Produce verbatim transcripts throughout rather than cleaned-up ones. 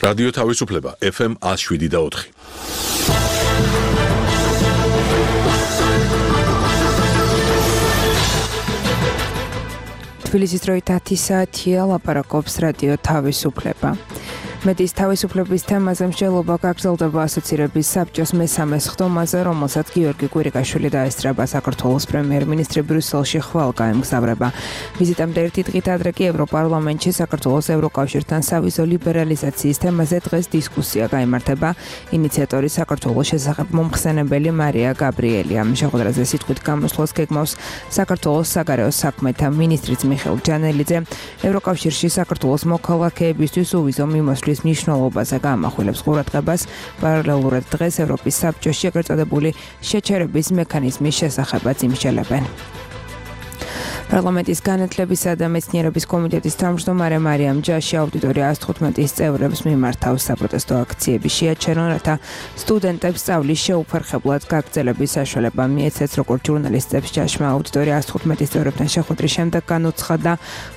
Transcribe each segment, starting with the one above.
რადიო თავისუფლება ეფ ემ one oh seven და four. თბილისის დროით ათი საათია, ლაპარაკობს რადიო თავისუფლება. მედიის თავისუფლების თემაზე მსჯელობა გაგრძელდება ასოცირების საბჭოს მესამე სხდომაზე, რომელსაც გიორგი კვირიკაშვილი დაესწრება. საქართველოს პრემიერ-მინისტრი ბრიუსელში ხვალ გაემგზავრება. ვიზიტამდე ერთი დღით ადრე კი ევროპარლამენტში საქართველოს ევროკავშირთან სავიზო ლიბერალიზაციის თემაზე დღეს დისკუსია გაიმართება. ინიციატორი საქართველოს შესახებ მომხსენებელი მარია გაბრიელია. შეხვედრაზე სიტყვით გამოსვლას გეგმავს საქართველოს საგარეო საქმეთა მინისტრიც მიხეილ ჯანელიძე. ევროკავშირში საქართველოს მოქალაქეებისთვის უვიზო მიმოსვლის მნიშვნელობაზე გაამახვილებს ყურადღებას. პარალელურად დღეს ევროპის საბჭოში ეგრეთ წოდებული შეჩერების მექანიზმის შესახებაც იმსჯელებენ. პარლამენტის განათლებისა და მეცნიერების კომიტეტის თავმჯდომარე მარიამ ჯაში აუდიტორია one fifteen წევრებს მიმართავს საპროტესტო აქციები შეაჩერონ, რათა სტუდენტებს სწავლის შეუფერხებლად გაგრძელების საშუალება მიეცეს, როგორც ჟურნალისტებს ჯაშმა აუდიტორია one fifteen წევრებთან შეხვედრის შემდეგ განუცხადა.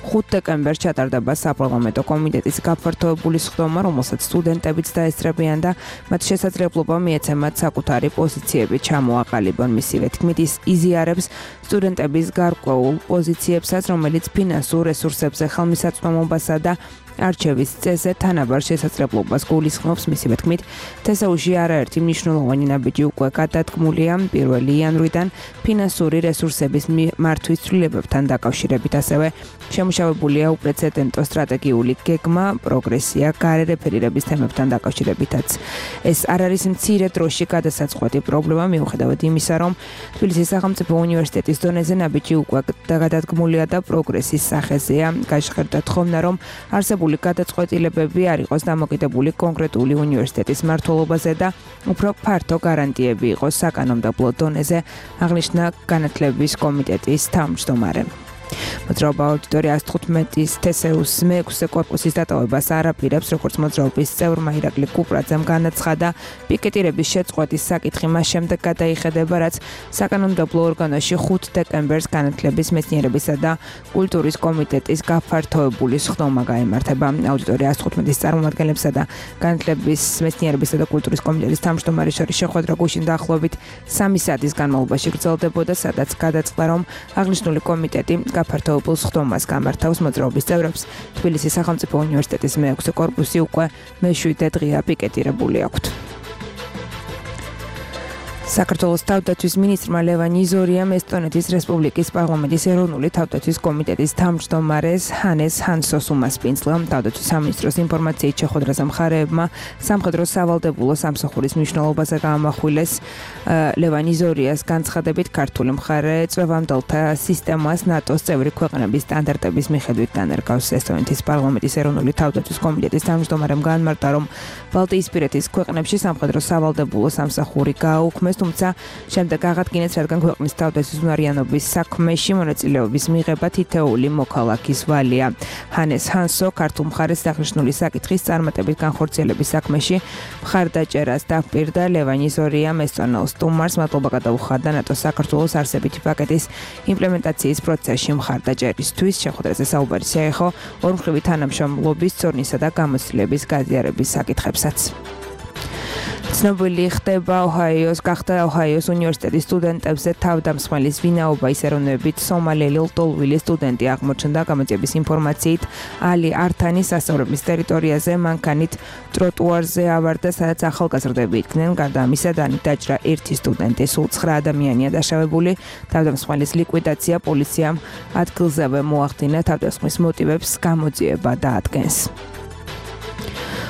ხუთი დეკემბერს ჩატარდება საპარლამენტო კომიტეტის გაფართოებული სხდომა, რომელსაც სტუდენტებიც დაესწრებიან და მათ შესაძლებლობა მიეცემათ საკუთარი პოზიციები ჩამოაყალიბონ. მისივე თქმით, ის იზიარებს სტუდენტების გარკვეულ პოზიციებსაც, რომელიც ფინანსურ რესურსებზე ხელმისაწვდომობასა და არჩევის წესზე თანაბარ შესაძლებლობას გულისხმობს. მისივე თქმით, თესაუში არაერთი მნიშვნელოვანი ნაბიჯი უკვე გადადგმულია. პირველი იანვრიდან ფინანსური რესურსების მართვის ცვლილებებთან დაკავშირებით, ასევე შემუშავებულია უპრეცედენტო სტრატეგიული გეგმა, პროგრესია გარე რეფერირების თემებთან დაკავშირებითაც. ეს არ არის მცირე დროში გადასაწყვეტი პრობლემა, მიუხედავად იმისა, რომ თბილისის სახელმწიფო უნივერსიტეტის დონეზე ნაბიჯი უკვე გადადგმულია და პროგრესის სახეზეა. გაჟღერდა თხოვნა, რომ არსებული გადაწყვეტილებები არ იყოს დამოკიდებული კონკრეტული უნივერსიტეტის მმართველობაზე და უფრო ფართო გარანტიები იყოს საკანონმდებლო დონეზე, აღნიშნა განათლების კომიტეტის თავმჯდომარე. მოძრაობა აუდიტორია one fifteen თესეუს მეექვსე კორპუსის დატოვებას არ აპირებს, როგორც მოძრაობის წევრმა ირაკლი კუპრაძემ განაცხადა. პიკეტირების შეწყვეტის საკითხი მას შემდეგ გადაიხედება, რაც საკანონმდებლო ორგანოში ხუთი დეკემბერს განათლების, მეცნიერებისა და კულტურის კომიტეტის გაფართოებული სხდომა გაიმართება. აუდიტორია one fifteen წარმომადგენლებსა და განათლების, მეცნიერებისა და კულტურის კომიტეტის თავმჯდომარის შორის შეხვედრა გუშინ დაახლოებით სამი საათის განმავლობაში გრძელდებოდა, სადაც გადაწყდა, რომ აღნიშნული კომიტეტი გაფართოებულ სხდომას გამართავს. მოძრაობის წევრებს თბილისის სახელმწიფო უნივერსიტეტის მეექვსე კორპუსი უკვე მეშვიდე დღეა პიკეტირებული აქვთ. საქართველოს თავდაცვის მინისტრმა ლევან იზორიამ ესტონეთის რესპუბლიკის პარლამენტის ეროვნული თავდაცვის კომიტეტის თავმჯდომარეს ჰანეს ჰანსოს უმასპინძლა. თავდაცვის სამინისტროს ინფორმაციით შეხვედრაზე მხარეებმა სამხედრო სავალდებულო სამსახურის მნიშვნელობაზე გაამახვილეს. ლევან იზორიას განცხადებით, ქართული მხარე წვევამდელთა სისტემას ნატოს წევრი ქვეყნების სტანდარტების მიხედვით დანერგავს. ესტონეთის პარლამენტის ეროვნული თავდაცვის კომიტეტის თავმჯდომარემ განმარტა, რომ ბალტიისპირეთის ქვეყნებში სამხედრო სავალდებულო სამსახური გააუქმეს, თუმცა შემდეგ აღადგინეს, რადგან ქვეყნის თავდაცვის უნარიანობის საქმეში მონაწილეობის მიღება თითოეული მოქალაქის ვალია. ჰანეს ჰანსო ქართულ მხარეს აღნიშნული საკითხის წარმატებით განხორციელების საქმეში მხარდაჭერას დაპირდა. ლევან იზორიამ ესტონელ სტუმარს მადლობა გადაუხადა ნატოს საქართველოს არსებითი პაკეტის იმპლემენტაციის პროცესში მხარდაჭერისთვის. შეხვედრაზე საუბარი შეეხო ორმხრივი თანამშრომლობის, წორნისა და გამოცდილების გაზიარების საკითხებსაც. ცნობილი ხდება ოჰაიოს გახდა ოჰაიოს უნივერსიტეტის სტუდენტებზე თავდამსხმელის ვინაობა. ის ეროვნებით სომალელი ლტოლვილი სტუდენტი აღმოჩნდა. გამოძიების ინფორმაციით, ალი ართანი სასწავლებლის ტერიტორიაზე მანქანით ტროტუარზე ავარდა, სადაც ახალგაზრდები იდგნენ. გარდა ამისა, დაჭრა ერთი სტუდენტი, სულ ცხრა ადამიანია დაშავებული. თავდამსხმელის ლიკვიდაცია პოლიციამ ადგილზევე მოახდინა. თავდასხმის მოტივებს გამოძიება დაადგენს.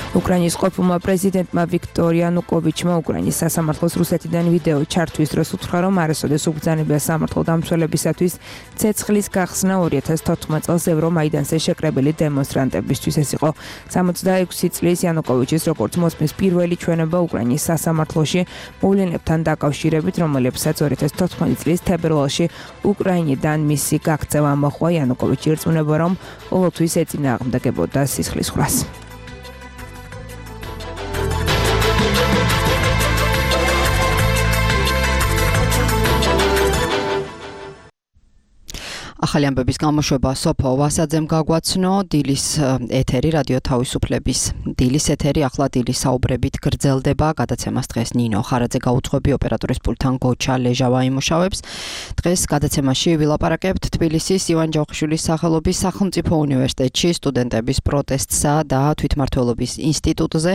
უკრაინის ყოფილმა პრეზიდენტმა ვიქტორ იანუკოვიჩმა უკრაინის სასამართლოს რუსეთიდან ვიდეო ჩართვის დროს უთხრა, რომ არასოდეს უბრძანებია სამართლო დამცველებისათვის ცეცხლის გახსნა two thousand fourteen წელს ევრომაიდანზე შეკრებილი დემონსტრანტებისთვის. ეს იყო სამოცდაექვსი წლის იანუკოვიჩის როგორც მოსმის პირველი ჩვენება უკრაინის სასამართლოში მოვლენებთან დაკავშირებით, რომელებსაც two thousand fourteen წლის თებერვალში უკრაინიდან მისი გაქცევა მოჰყვა. იანუკოვიჩი ირწმუნება, რომ ყოველთვის ეწინააღმდეგებოდა სისხლისღვრას. ახალი ამბების გამოშვება სოფო ვასაძემ გაგვაცნო. დილის ეთერი, რადიო თავისუფლების დილის ეთერი, ახლა დილის საუბრებით გრძელდება. გადაცემას დღეს ნინო ხარაძე გაუძღვები, ოპერატორის პულტთან გოჩა ლეჟავა იმუშავებს. დღეს გადაცემაში ვილაპარაკებთ თბილისის ივან ჯავხიშვილის სახელობის სახელმწიფო უნივერსიტეტში სტუდენტების პროტესტსა და თვითმმართველობის ინსტიტუტზე.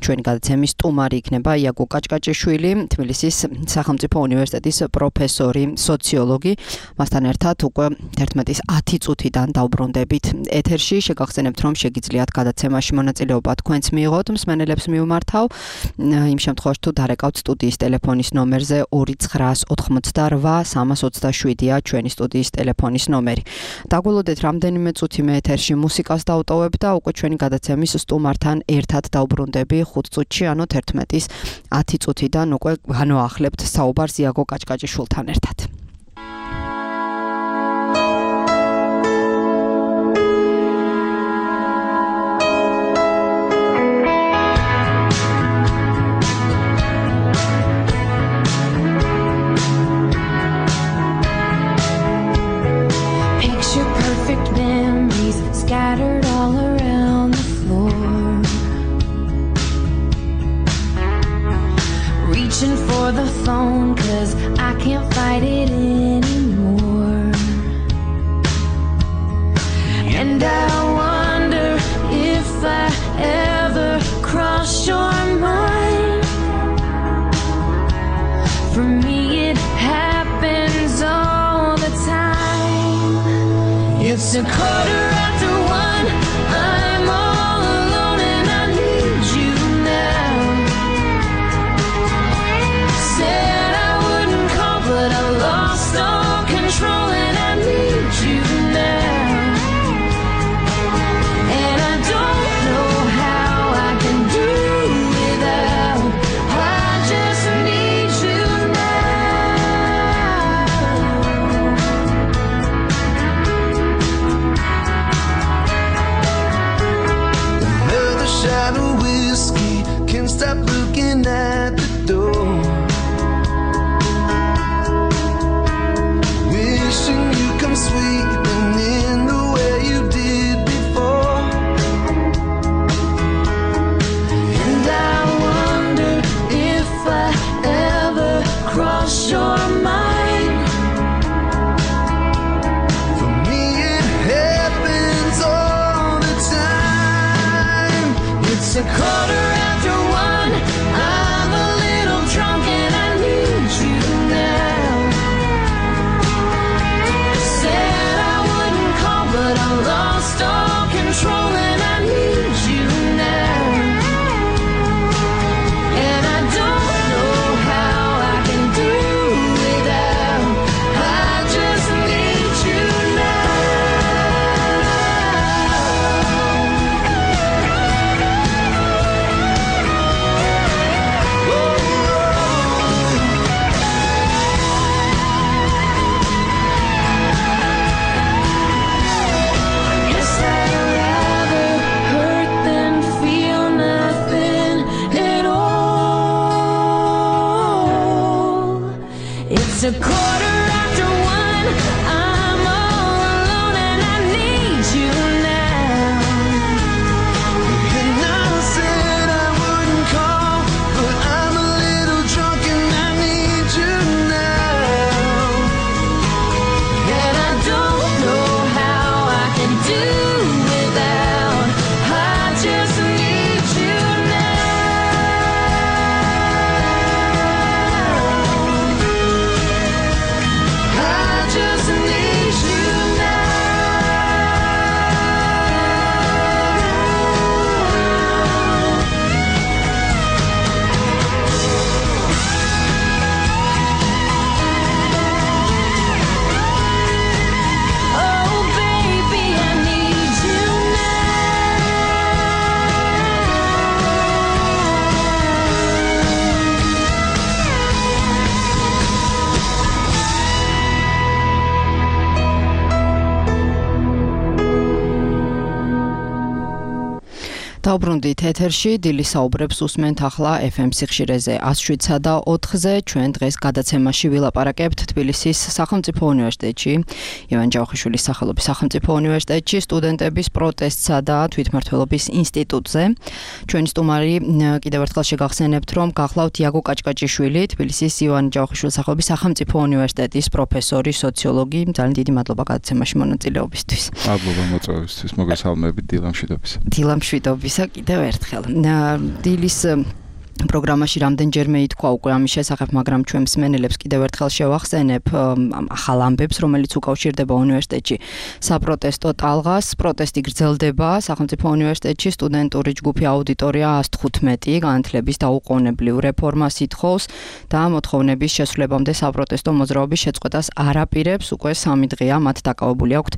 ჩვენი გადაცემის სტუმარი იქნება იაგო კაჭკაჭიშვილი, თბილისის სახელმწიფო უნივერსიტეტის პროფესორი, სოციოლოგი. მასთან ერთად უკვე ერთმეტის ათი წუთიდან დავბრუნდებით ეთერში. შეგახსენებთ, რომ შეგიძლიათ გადაცემაში მონაწილეობა თქვენც მიიღოთ, მსმენელებს მივმართავ. იმ შემთხვევაში თუ დარეკავთ სტუდიის ტელეფონის ნომერზე ორი ცხრაას ოთხმოცდარვა სამას ოცდაშვიდია ჩვენი სტუდიის ტელეფონის ნომერი. დაგველოდეთ რამდენიმე წუთი მე ეთერში მუსიკას დავტოვებ და უკვე ჩვენი გადაცემის სტუმართან ერთად დავბრუნდები ხუთ წუთში, ანუ თერთმეტის ათი წუთიდან უკვე განვაახლებთ საუბარს იაგო კაჭკაჭიშვილთან ერთად. Scattered all around the floor, reaching for the phone 'cause I can't fight it anymore. And I wonder if I ever cross your mind. For me it happens all the time. It's a quarter after one, I'm all alone and I need you now. Said I wouldn't call but I lost all control and I need you now. And I don't know how I can do without, I just need you now. დავბრუნდით ეთერში, დილის საუბრებს უსმენთ ახლა ეფ ემ სიხშირეზე one oh seven და four-ზე. ჩვენ დღეს გადაცემაში ვილაპარაკებთ თბილისის სახელმწიფო უნივერსიტეტში, ივან ჯავახიშვილის სახელობის სახელმწიფო უნივერსიტეტში სტუდენტების პროტესტსა და თვითმმართველობის ინსტიტუტზე. ჩვენი სტუმარი კიდევ ერთხელ შეგახსენებთ, რომ გახლავთ იაგო კაჭკაჭიშვილი, თბილისის ივან ჯავახიშვილის სახელობის სახელმწიფო უნივერსიტეტის პროფესორი, სოციოლოგი. ძალიან დიდი მადლობა გადაცემაში მონაწილეობისთვის. მადლობა მოწვევისთვის, მოგესალმებით დილამშვიდობის. დილამშვიდობის. კიდევ ერთხელ დილის პროგრამაში რამდენჯერმე ითქვა უკვე ამის შესახებ, მაგრამ ჩვენ მსმენელებს კიდევ ერთხელ შევახსენებ ახალ ამბებს, რომელიც უკავშირდება უნივერსიტეტში საპროტესტო ტალღას. პროტესტი გრძელდება სახელმწიფო უნივერსიტეტში, სტუდენტური ჯგუფი აუდიტორია one oh fifteen განათლების დაუყოვნებლივ რეფორმას ითხოვს და მოთხოვნების შესრულებამდე საპროტესტო მოძრაობის შეწყვეტას არ აპირებს. უკვე სამი დღეა მათ დაკავებული აქვთ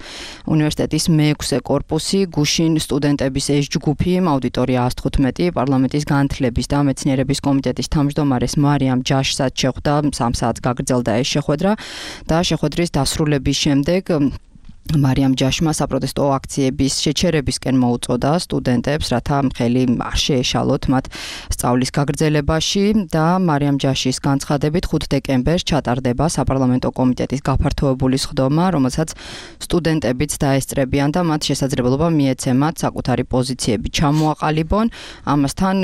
უნივერსიტეტის მეექვსე კორპუსი, გუშინ სტუდენტების ეს ჯგუფი აუდიტორია one oh fifteen პარლამენტის განათლების და მეცნიერების კომიტეტის თავმჯდომარეს მარიამ ჯაშსაც შეხვდა, სამ საათს გაგრძელდა ეს შეხვედრა და შეხვედრის დასრულების შემდეგ მარიამ ჯაშმა საპროტესტო აქციების შეჩერებისკენ მოუწოდა სტუდენტებს, რათა ხელი არ შეეშალოთ მათ სწავლის გაგრძელებაში და მარიამ ჯაშის განცხადებით ხუთი დეკემბერს ჩატარდება საპარლამენტო კომიტეტის გაფართოებული სხდომა, რომელსაც სტუდენტებიც დაესწრებიან და მათ შესაძლებლობა მიეცემათ საკუთარი პოზიციები ჩამოაყალიბონ. ამასთან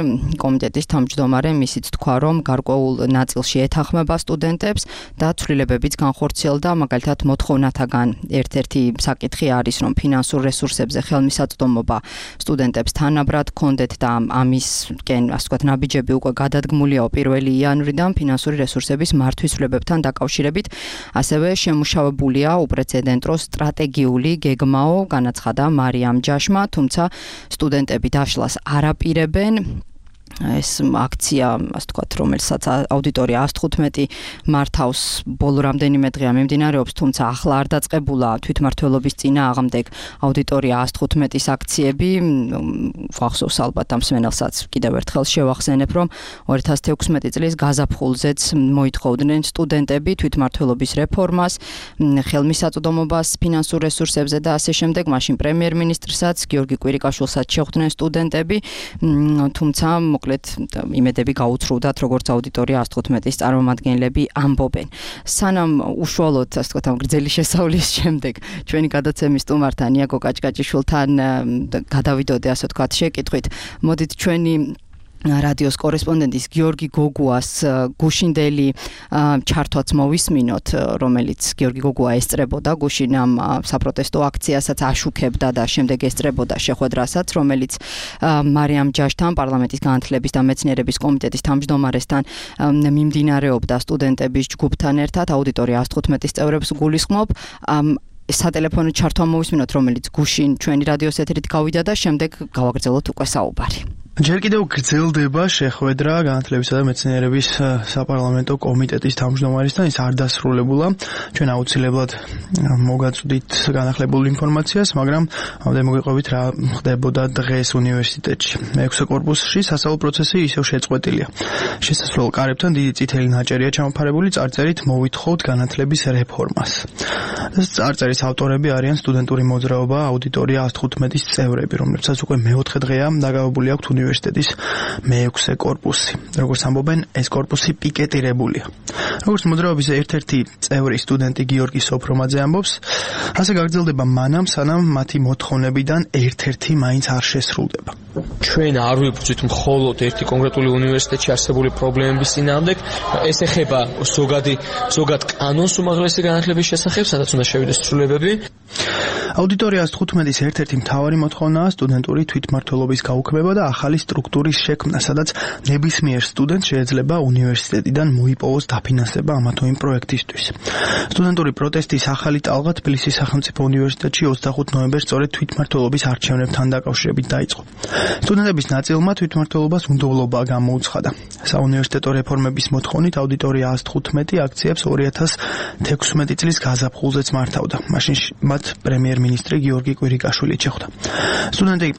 კომიტეტის თავმჯდომარემ ისიც თქვა, რომ გარკვეულ ნაწილში ეთანხმება სტუდენტებს და ცვლილებებიც განხორციელდა, მაგალითად მოთხოვნათაგან ერთ-ერთი საკითხი არის, რომ ფინანსურ რესურსებზე ხელმისაწვდომობა სტუდენტებს თანაბრად ჰქონდეთ და ამისკენ, ასე ვთქვათ, ნაბიჯები უკვე გადადგმულია პირველი იანვრიდან ფინანსური რესურსების მართვისუფლებებთან დაკავშირებით. ასევე შემუშავებულია უპრეცედენტო სტრატეგიული გეგმაო, განაცხადა მარიამ ჯაშმა, თუმცა სტუდენტები დაშლას არ აპირებენ. ეს აქცია, ასე ვთქვათ, რომელსაც აუდიტორია one oh fifteen მართავს, ბოლო რამდენიმე დღეა მიმდინარეობს, თუმცა ახლა არ დაწყებულა თვითმმართველობის წინააღმდეგ აუდიტორია one oh fifteen-ის აქციები. გვახსოვს ალბათ ამ მსმენელსაც კიდევ ერთხელ შევახსენებ, რომ two thousand sixteen წლის გაზაფხულზეც მოითხოვდნენ სტუდენტები თვითმმართველობის რეფორმას, ხელმისაწვდომობას ფინანსურ რესურსებზე და ასე შემდეგ. მაშინ პრემიერ-მინისტრსაც გიორგი კვირიკაშვილსაც შეხვდნენ სტუდენტები, თუმცა მოკლედ იმედები გაუცრუვდათ, როგორც აუდიტორია one oh fifteen-ის წარმომადგენლები ამბობენ. სანამ უშუალოდ, ასე ვთქვათ, ამ გრძელი შესავლის შემდეგ ჩვენი გადაცემის სტუმართან იაგო კაჭკაჭიშვილთან გადავიდოდე, ასე ვთქვათ, შეკითხვით. მოდით ჩვენი რადიოს კორესპონდენტის გიორგი გოგუას გუშინდელი ჩართვაც მოვისმინოთ, რომელიც გიორგი გოგუა ესწრებოდა გუშინ ამ საპროტესტო აქციასაც აშუქებდა და შემდეგ ესწრებოდა შეხვედრასაც, რომელიც მარიამ ჯაშთან, პარლამენტის განათლების და მეცნიერების კომიტეტის თავმჯდომარესთან მიმდინარეობდა სტუდენტების ჯგუფთან ერთად, აუდიტორია one oh fifteen-ის წევრებს გულისხმობ. სატელეფონო ჩართვა მოვისმინოთ, რომელიც გუშინ ჩვენი რადიოს ეთერით გავიდა და შემდეგ გავაგრძელოთ უკვე საუბარი. ჯერ კიდევ გრძელდება შეხვედრა განათლებისა და მეცნიერების საპარლამენტო კომიტეტის თავმჯდომარესთან, ის არ დასრულებულა. ჩვენ აუცილებლად მოგაწვდით განახლებულ ინფორმაციას, მაგრამ მოგეყვებით რა ხდებოდა დღეს უნივერსიტეტში. მეექვსე კორპუსში სასწავლო პროცესი ისევ შეწყვეტილია. შესასვლელ კარებთან დიდი წითელი ნაჭერია ჩამოფარებული წარწერით მოვითხოვთ განათლების რეფორმას. წარწერის ავტორები არიან სტუდენტური მოძრაობა აუდიტორია one oh fifteen-ის წევრები, რომლებსაც უკვე მეოთხე დღეა დაკავებული აქვთ უნივერსიტეტის მეექვსე კორპუსი. როგორც ამბობენ, ეს კორპუსი პიკეტირებულია. როგორც მოძრაობის ერთ-ერთი წევრი სტუდენტი გიორგი სოფრომაძე ამბობს, ასე გაგრძელდება მანამ, სანამ მათი მოთხოვნებიდან ერთ-ერთი მაინც არ შესრულდება. ჩვენ არ ვიბრძვით მხოლოდ ერთი კონკრეტული უნივერსიტეტში არსებული პრობლემების წინააღმდეგ, ეს ეხება ზოგადი ზოგად კანონს უმაღლესი განათლების შესახებ, სადაც უნდა შევიდეს ცვლილებები. აუდიტორია one oh fifteen-ის ერთ-ერთი მთავარი მოთხოვნაა სტუდენტური თვითმმართველობის გაუქმება და ახალი სტრუქტურის შექმნა, სადაც ნებისმიერ სტუდენტს შეიძლება უნივერსიტეტიდან მოიპოვოს დაფინანსება ამა თუ იმ პროექტისთვის. სტუდენტური პროტესტის ახალი ტალღა თბილისის სახელმწიფო უნივერსიტეტში ოცდახუთი ნოემბერს სწორედ თვითმმართველობის არჩევნებთან დაკავშირებით დაიწყო. სტუდენტების ნაწილმა თვითმმართველობას უნდობლობა გამოუცხადა. საუნივერსიტეტო რეფორმების მოთხოვნით აუდიტორია one oh fifteen აქციებს two thousand sixteen წლის გაზაფხულზეც მართავდა. მაშინ მათ პრემიერ-მინისტრი გიორგი კვირიკაშვილი შეხვდა. სტუდენტი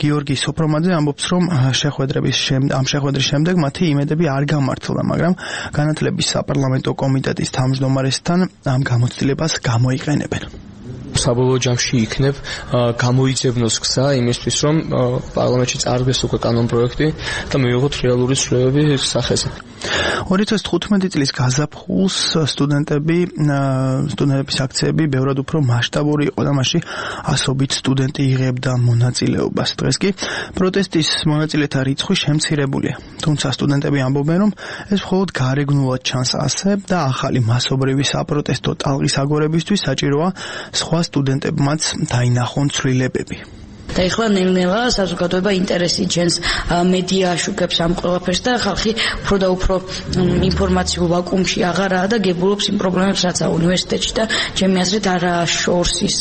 გიორგი სოფრომაძე ამბობს, რომ შეხვედრების ამ შეხვედრის შემდეგ მათი იმედები არ გამართლდა, მაგრამ განათლების საპარლამენტო კომიტეტის თავმჯდომარესთან ამ გამოცდილებას გამოიყენებენ. საბოლოო ჯამში იქნებ გამოიძებნოს გზა იმისთვის, რომ პარლამენტში წარდგეს უკვე კანონ პროექტი და მივიღოთ რეალური ცვლილებები სახეზე. ორი ათას თხუთმეტი წლის გაზაფხულს სტუდენტები სტუდენტების აქციები ბევრად უფრო მასშტაბური იყო და მასში ასობით სტუდენტი იღებდა მონაწილეობას. დღეს კი პროტესტის მონაწილეთა რიცხვი შემცირებულია. თუმცა სტუდენტები ამბობენ, რომ ეს მხოლოდ გარეგნულად ჩანს ასე და ახალი მასობრივი საპროტესტო ტალღის აგორებისთვის საჭიროა სხვა სტუდენტებმაც დაინახონ ცვლილებები. და ეხლა ნელ-ნელა საზოგადოება ინტერესი ჩენს მედია აშუქებს ამ ყველაფერს და ხალხი უფრო და უფრო ინფორმაციულ ვაკუუმში აღარაა და გებულობს იმ პრობლემებს, რაც უნივერსიტეტში და ჩემი აზრით არა შორს ის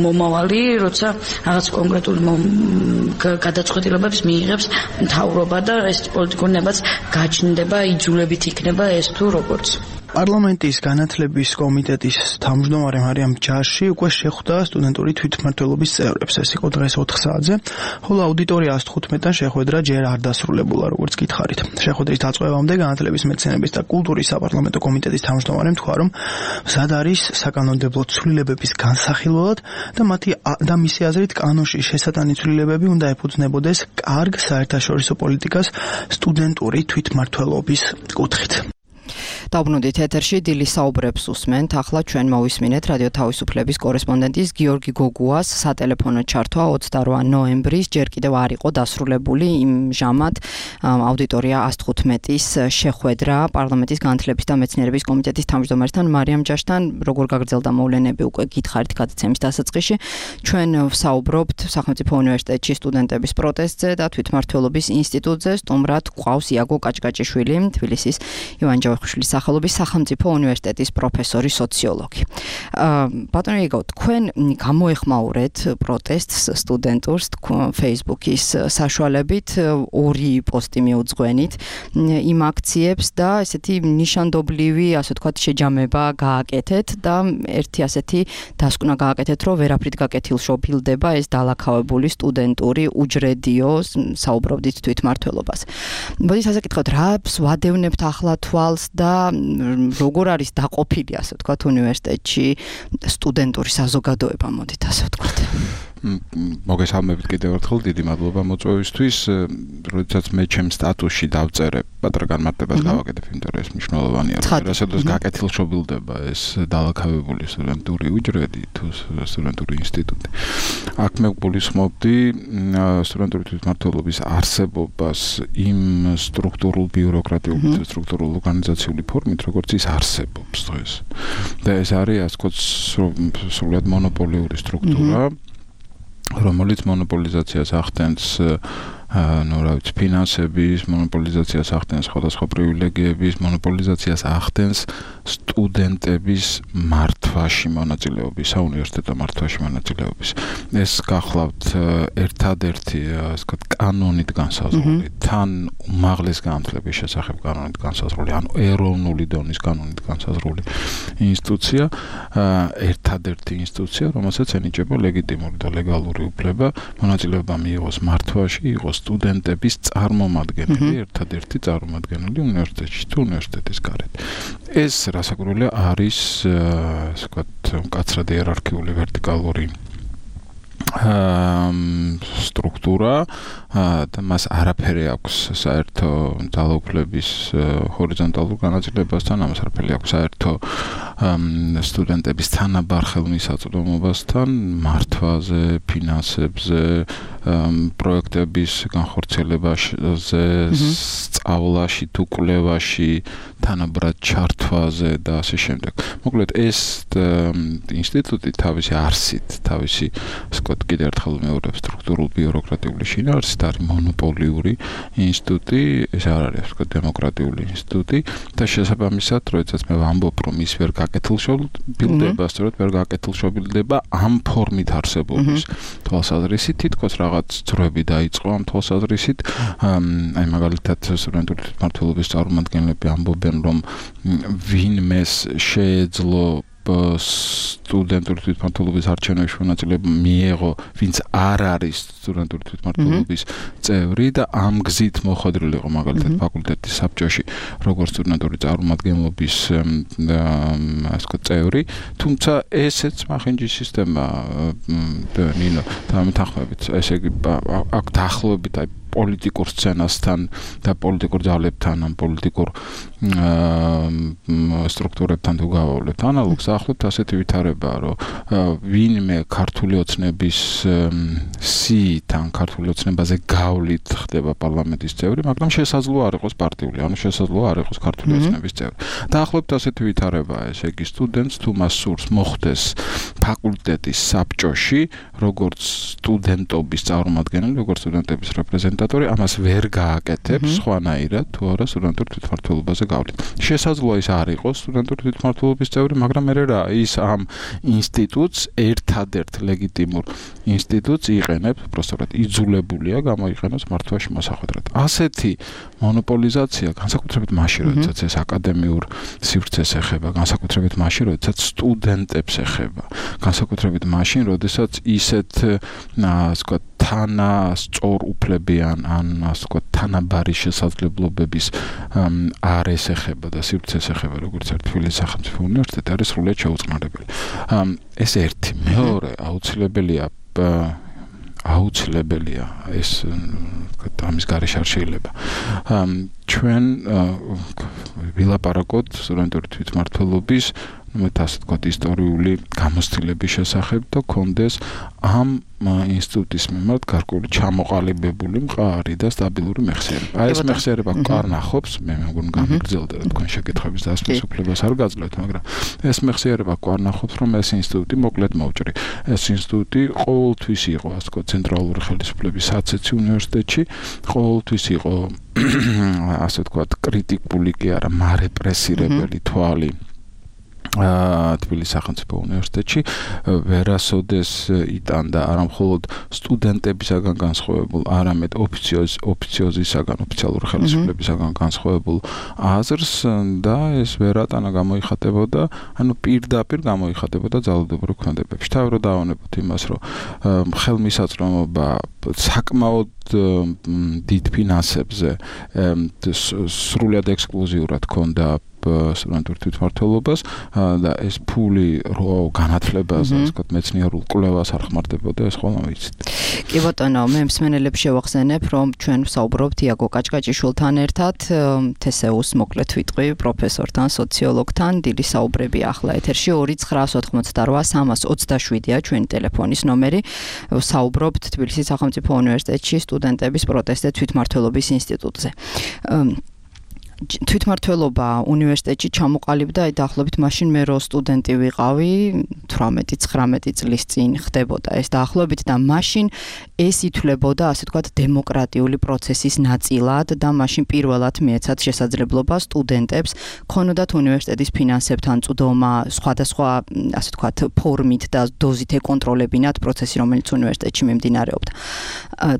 მომავალი, როცა რაღაც კონკრეტული გადაწყვეტილებებს მიიღებს მთავრობა და ეს პოლიტიკური ნებაც გაჩნდება, იძულებით იქნება ეს თუ როგორც. პარლამენტის განათლების კომიტეტის თავმჯდომარე მარიამ ჯაში უკვე შეხვდა სტუდენტური თვითმმართველობის წევრებს. ეს იყო დღეს ოთხ საათზე, ხოლო აუდიტორია ას თხუთმეტიდან შეხვედრა ჯერ არ დასრულებულა, როგორც გითხარით. შეხვედრის დაწყებამდე განათლების, მეცნიერების და კულტურის საპარლამენტო კომიტეტის თავმჯდომარემ თქვა, რომ მზად არის საკანონმდებლო ცვლილებების განსახილველად და მათი და მისი აზრით კანონში შესატანი ცვლილებები უნდა ეფუძნებოდეს კარგ საერთაშორისო პოლიტიკას სტუდენტური თვითმმართველობის კუთხით. დავბრუნდით ეთერში დილის საუბრებს უსმენთ. ახლა ჩვენ მოვისმინეთ რადიო თავისუფლების კორესპონდენტის გიორგი გოგუას სატელეფონო ჩართვა ოცდაორი ნოემბრის ჯერ კიდევ არ იყო დასრულებული იმ ჟამად აუდიტორია ას თხუთმეტის შეხვედრა პარლამენტის განათლების და მეცნიერების კომიტეტის თავმჯდომარესთან მარიამ ჯაშთან. როგორ გაგრძელდა მოვლენები უკვე გითხარით გადაცემის დასაწყისში. ჩვენ ვსაუბრობთ სახელმწიფო უნივერსიტეტში სტუდენტების პროტესტზე და თვითმმართველობის ინსტიტუტზე. სტუმრად გვყავს იაგო კაჭკაჭიშვილი, თბილისის ივან ჯავახიშვილის სახელობის სახელმწიფო უნივერსიტეტის პროფესორი სოციოლოგი. ბატონო იგო, თქვენ გამოეხმაურეთ პროტესტს სტუდენტურს Facebook-ის საშუალებით, ორი პოსტი მიუძღვენით იმ აქციებს და ესეთი ნიშანდობლივი, ასე ვთქვათ, შეჯამება გააკეთეთ და ერთი ასეთი დასკვნა გააკეთეთ, რომ ვერაფრით გაკეთილშობილდება ეს დალაქავებული სტუდენტური უჯრედიო, საუბრობდით თვითმმართველობას. მოდით ასე გითხოთ, რა ვადევნებთ ახლა თვალს და როგორ არის დაყოფილი, ასე ვთქვათ, უნივერსიტეტში სტუდენტური საზოგადოება, მოდით ასე ვთქვათ. მოგესალმებით კიდევ ერთხელ, დიდი მადლობა მოწვევისთვის. როდესაც მე ჩემ სტატუსში დავწერე, პატარა განმარტებას გავაკეთებ, იმიტომ რომ ეს მნიშვნელოვანია. რასაც გაკეთილშობილდება ეს დალაქავებული სტუდენტური უჯრედი თუ სტუდენტური ინსტიტუტი. აქ მე გულისხმობდი სტუდენტური თვითმმართველობის არსებობას იმ სტრუქტურულ ბიუროკრატიულ სტრუქტურულ ორგანიზაციული ფორმით, როგორც ის არსებობს დღეს. და ეს არის, ასე ვთქვათ, სრულად მონოპოლიური სტრუქტურა, რომელიც მონოპოლიზაციას ახდენს ну, რა ვიცი, ფინანსების მონოპოლიზაციას ახდენს, სხვადასხვა პრივილეგიების მონოპოლიზაციას ახდენს სტუდენტების მართვაში მონაწილეობის, საუნივერსიტეტო მართვაში მონაწილეობის. ეს გახლავთ ერთადერთი, ასე ვთქვათ, კანონით განსაზღვრული, თან უმაღლეს განათლების შესახებ კანონით განსაზღვრული, ანუ ეროვნული დონის კანონით განსაზღვრული ინსტიტუცია, ერთადერთი ინსტიტუცია, რომელსაც ენიჭება ლეგიტიმური და ლეგალური უფლება მონაწილეობა მიიღოს მართვაში, იყოს სტუდენტების წარმომადგენელი, ერთადერთი წარმომადგენელი უნივერსიტეტში თუ უნივერსიტეტის გარეთ. ეს რასაკვირველია არის, ასე ვთქვათ, მკაცრად იერარქიული ვერტიკალური სტრუქტურა და მას არაფერი აქვს საერთო ძალაუფლების ჰორიზონტალურ განაწილებასთან, ამას არაფერი აქვს საერთო სტუდენტების თანაბარ ხელმისაწვდომობასთან, მართვაზე, ფინანსებზე, პროექტების განხორციელებაზე, სწავლაში თუ კვლევაში, თანაბრად ჩართვაზე და ასე შემდეგ. მოკლედ ეს ინსტიტუტი თავისი არსით, თავისი სკოტ კიდევ ერთხელ მეორე სტრუქტურულ ბიუროკრატიული შინაარსით არის მონოპოლიური ინსტიტუტი, ეს არ არის ასე ვთქვათ დემოკრატიული ინსტიტუტი და შესაბამისად, როდესაც მე ვამბობ, რომ ის ვერ გაკეთილშობილდება, სწორედ ვერ გაკეთილშობილდება ამ ფორმით არსებობის თვალსაზრისით, თითქოს რაღაც ძროები დაიწყო ამ თვალსაზრისით, აი მაგალითად სტუდენტური თვითმმართველობის წარმომადგენლები ამბობენ, რომ ვინმეს შეეძლო სტუდენტური თვითმმართველობის არჩევნებში მონაწილეობა მიიღო, ვინც არ არის სტუდენტური თვითმმართველობის წევრი და ამ გზით მოხვედრილი იყო მაგალითად ფაკულტეტის საბჭოში, როგორც სტუდენტური წარმომადგენლობის ასე ვთქვათ წევრი, თუმცა ესეც მახინჯის სისტემა ნინო დამეთანხმებით, ესე იგი აქ დაახლოებით აი პოლიტიკურ სცენასთან და პოლიტიკურ ძალებთან, ან პოლიტიკურ სტრუქტურებთან თუ გავავლებთ ანალოგს, ახლობთ ასეთი ვითარება, რომ ვინმე ქართული ოცნების სიით ან ქართული ოცნებაზე გავლით ხდება პარლამენტის წევრი, მაგრამ შესაძლოა არ იყოს პარტიული, ანუ შესაძლოა არ იყოს ქართული ოცნების წევრი. დაახლოებით ასეთი ვითარებაა, ესე იგი სტუდენტს თუ მას სურს მოხდეს ფაკულტეტის საბჭოში, როგორც სტუდენტობის წარმომადგენელი, როგორც სტუდენტების რეპრეზენტატორი, ამას ვერ გააკეთებს სხვანაირად თუ არა სტუდენტურ თვითმმართველობაზე გავლით. შესაძლოა ის არ იყოს სტუდენტური თვითმმართველობის წევრი, მაგრამ მე რა ის ამ ინსტიტუტს ერთადერთ ლეგიტიმურ ინსტიტუტს იყენებს, უბრალოდ იძულებულია გამოიყენოს მართვაში მოსახვედრად. ასეთი მონოპოლიზაცია განსაკუთრებით მაშინ, როდესაც ეს აკადემიურ სივრცეს ეხება, განსაკუთრებით მაშინ, როდესაც სტუდენტებს ეხება, განსაკუთრებით მაშინ, როდესაც ისეთ ასე ვთქვათ თანასწორ უფლებიან ან ასე ვთქვათ თანაბარი შესაძლებლობების არ ესეხება და სივრცეს ეხება, როგორც ერთ თბილისის სახელმწიფო უნივერსიტეტი, არის სრულიად შეუწყნარებელი. ეს ერთი, მეორე აუცილებელია აუცილებელია ეს ამის გარეშე არ შეიძლება. ჩვენ ვილაპარაკოთ სტუდენტური თვითმმართველობის მე ასე ვთქვათ ისტორიული გამოცდილების შესახებ და კონდეს ამ ინსტიტუტის მიმართ გარკვეული ჩამოყალიბებული მყარი და სტაბილური მეხსიერება. აი ეს მეხსიერება კარნახობს, მე მეგონი გამიგრძელდა და თქვენ შეკითხების დასმის უფლებას არ გაძლევთ, მაგრამ ეს მეხსიერება კარნახობს, რომ ეს ინსტიტუტი მოკლედ მოვჭრი. ეს ინსტიტუტი ყოველთვის იყო, ასე ვთქვათ, ცენტრალური ხელისუფლების საცეცი უნივერსიტეტში, ყოველთვის იყო ასე ვთქვათ, კრიტიკული კი არა, მარეპრესირებელი თვალი თბილისის სახელმწიფო უნივერსიტეტში ვერასოდეს იტანდა არა მხოლოდ სტუდენტებისაგან განსხვავებულ, არამედ ოფიციოზისაგან, ოფიციალური ხელისუფლებისაგან განსხვავებულ აზრს და ეს ვერატანა გამოიხატებოდა, ანუ პირდაპირ გამოიხატებოდა ძალადობრივ ქმედებებში. თავი რომ დავანებოთ იმას, რომ ხელმისაწვდომობა საკმაოდ დიდ ფინანსებზე სრულად ექსკლუზიურად ჰქონდა სტუდენტურ თვითმმართველობას და ეს ფული რო განათლებას, ასე ვთქვათ, მეცნიერულ კვლევას არ ხმარდებოდა, ეს ხოლმე ვიცით. კი ბატონო, მე მსმენელებს შევახსენებ, რომ ჩვენ ვსაუბრობთ იაგო კაჭკაჭიშვილთან ერთად, თესეუს მოკლედ ვიტყვი, პროფესორთან, სოციოლოგთან, დილის საუბრები ახლა ეთერში ორი ცხრა ოთხმოცდაოთხ სამას ოცდაშვიდია ჩვენი ტელეფონის ნომერი. ვსაუბრობთ თბილისის სახელმწიფო უნივერსიტეტში სტუდენტების პროტესტზე თვითმმართველობის ინსტიტუტზე. თვითმმართველობა უნივერსიტეტში ჩამოყალიბდა აი დაახლოებით მაშინ მე რო სტუდენტი ვიყავი თვრამეტი ცხრამეტი წლის წინ ხდებოდა ეს დაახლოებით და მაშინ ეს ითვლებოდა ასე ვთქვათ დემოკრატიული პროცესის ნაწილად და მაშინ პირველად მიეცათ შესაძლებლობა სტუდენტებს ქონოდათ უნივერსიტეტის ფინანსებთან წვდომა სხვადასხვა ასე ვთქვათ ფორმით და დოზით ეკონტროლებინათ პროცესი რომელიც უნივერსიტეტში მიმდინარეობდა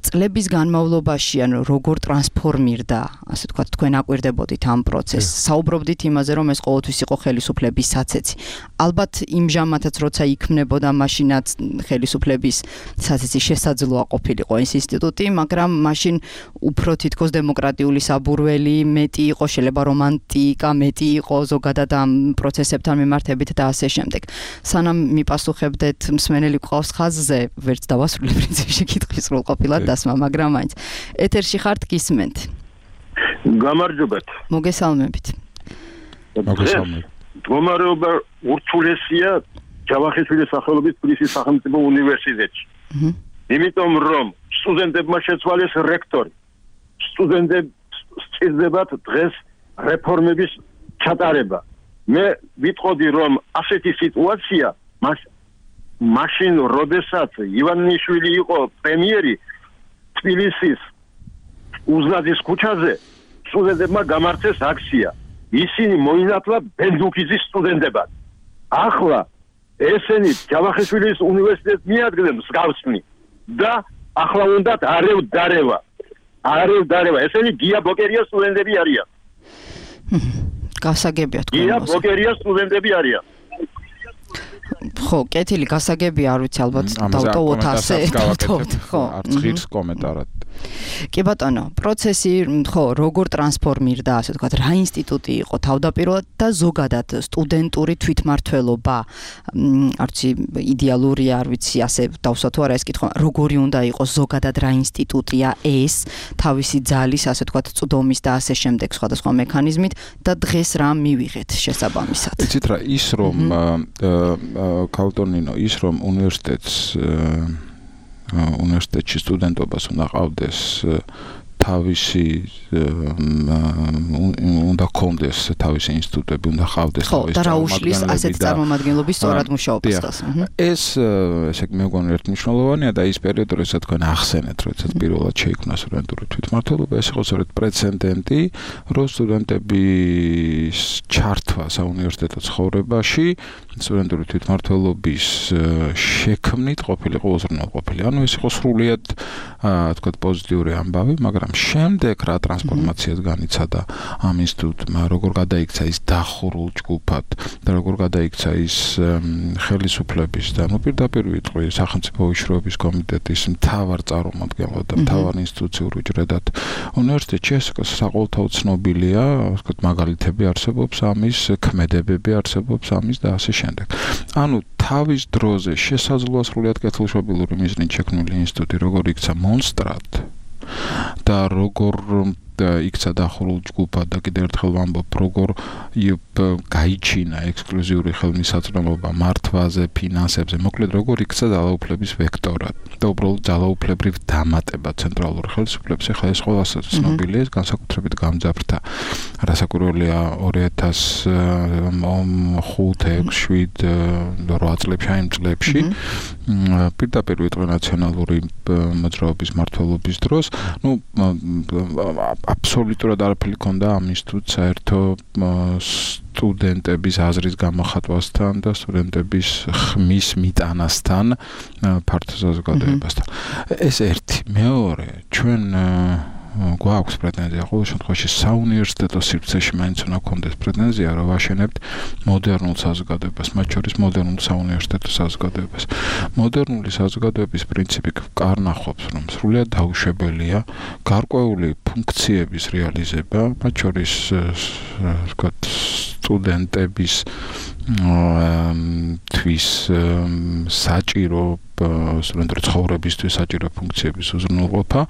წლების განმავლობაში ანუ როგორ ტრანსფორმირდა ასე ვთქვათ თქვენ აკვირდებოდით ამ პროცესს. საუბრობდით იმაზე, რომ ეს ყოველთვის იყო ხელისუფლების საცეცი. ალბათ იმჟამათაც როცა იქმნებოდა მაშინაც ხელისუფლების საცეცი შესაძლოა ყოფილიყო ეს ინსტიტუტი, მაგრამ მაშინ უფრო თითქოს დემოკრატიული საბურველი მეტი იყო, შეიძლება რომანტიკა მეტი იყო ზოგადად ამ პროცესებთან მიმართებით და ასე შემდეგ. სანამ მიპასუხებდეთ მსმენელი ყავს ხაზზე, ვერც დავასრულე პრინციპში კითხვის სრულყოფილად დასმა, მაგრამ მაინც ეთერში ხართ გისმენთ. გამარჯობათ. მოგესალმებით. მოგესალმებით. მდგომარეობა ურთულესია ჯავახიშვილის სახელობის თბილისის სახელმწიფო უნივერსიტეტში. იმიტომ რომ სტუდენტებმა შეცვალეს რექტორი. სტუდენტებს სჭირდებათ დღეს რეფორმების ჩატარება. მე ვიტყოდი რომ ასეთი სიტუაცია მაშინ როდესაც ივანიშვილი იყო პრემიერი თბილისის უზნაძის ქუჩაზე სტუდენტებმა გამართეს აქცია. ისინი მოინათლა ბენდუქიძის სტუდენტებად. ახლა ესენი ჯავახიშვილის უნივერსიტეტს მიადგნენ მსგავსნი და ახლა უნდათ არევა დარევა. არევა დარევა. ესენი გია ბოკერია სტუდენტები არიან. გასაგებია თქვენ. გია ბოკერია სტუდენტები არიან. ხო, კეთილი გასაგები არ ვიცი ალბათ დავტოვოთ ასე. ხო, არც ღირს კომენტარად. კი ბატონო, პროცესი ხო, როგორ ტრანსფორმირდა, ასე ვთქვათ, რა ინსტიტუტი იყო თავდაპირველად და ზოგადად სტუდენტური თვითმმართველობა, არც იდეალურია, არ ვიცი, ასე დავსვა თუ არა ეს კითხვა, როგორი უნდა იყოს ზოგადად რა ინსტიტუტია ეს, თავისი ძალის, ასე ვთქვათ, წვდომის და ასე შემდეგ სხვადასხვა მექანიზმით და დღეს რა მივიღეთ შესაბამისად. იცით რა, ის რომ კავტონინო, ის რომ უნივერსიტეტს უნივერსიტეტში სტუდენტობას უნდა ყავდეს თავისი უნდა კონდეს თავისი ინსტიტუტები უნდა ყავდეს თავისი და რა უშლის ასეთ წარმომადგენლობის სწორად მუშაობას. ეს ესე იგი მე მგონი ერთმნიშვნელოვანია და ის პერიოდი როდესაც თქვენ ახსენეთ, როდესაც პირველად შეიქმნა სტუდენტური თვითმმართველობა, ეს იყო სწორედ პრეცედენტი, რომ სტუდენტების ჩართვა საუნივერსიტეტო ცხოვრებაში სტუდენტური თვითმმართველობის შექმნით ყოფილიყო უზრუნველყოფილი. ანუ ეს იყო სრულიად თქვა პოზიტიური ამბავი, მაგრამ შემდეგ რა ტრანსფორმაციას განიცადა ამ ინსტიტუტმა, როგორ გადაიქცა ის დახურულ ჯგუფად და როგორ გადაიქცა ის ხელისუფლების და ნუ პირდაპირ ვიტყვი სახელმწიფო უშროების კომიტეტის მთავარ წარმომადგენლად და მთავარ ინსტიტუციურ უჯრედად უნივერსიტეტში ეს საყოველთაო ცნობილია, ვთქვათ, მაგალითები არსებობს ამის, ქმედებები არსებობს ამის და ასე შემდეგ. ანუ თავის დროზე შესაძლოა სრულიად კეთილშობილური მიზნით შექმნილი ინსტიტუტი როგორ იქცა მონსტრად და როგორ იქცა დახურულ ჯგუფად და კიდევ ერთხელ ვამბობ, როგორ გაიჩინა ექსკლუზიური ხელმისაწვდომობა მართვაზე, ფინანსებზე, მოკლედ როგორ იქცა ძალაუფლების ვექტორად და უბრალოდ ძალაუფლებრივ დამატება ცენტრალურ ხელისუფლებას. ეხლა ეს ყველას ცნობილია, ეს განსაკუთრებით გამძაფრდა რასაკვირველია ორი ათას ხუთი, ექვსი, შვიდ, რვა წლებში, აი იმ წლებში პირდაპირ ვიტყვი ნაციონალური მოძრაობის მმართველობის დროს, ну აბსოლუტურად არაფერი ქონდა ამ ინსტიტუტს საერთო სტუდენტების აზრის გამოხატვასთან და სტუდენტების ხმის მიტანასთან ფართო საზოგადოებასთან. ეს ერთი, მეორე, ჩვენ გვაქვს პრეტენზია ყოველ შემთხვევაში საუნივერსიტეტო სივრცეში მაინც უნდა გქონდეს პრეტენზია, რომ ვაშენებთ მოდერნულ საზოგადოებას, მათ შორის მოდერნულ საუნივერსიტეტო საზოგადოებას. მოდერნული საზოგადოების პრინციპი კარნახობს, რომ სრულიად დაუშვებელია გარკვეული ფუნქციების რეალიზება, მათ შორის ვთქვათ სტუდენტების თვის საჭირო სტუდენტური ცხოვრებისთვის საჭირო ფუნქციების უზრუნველყოფა,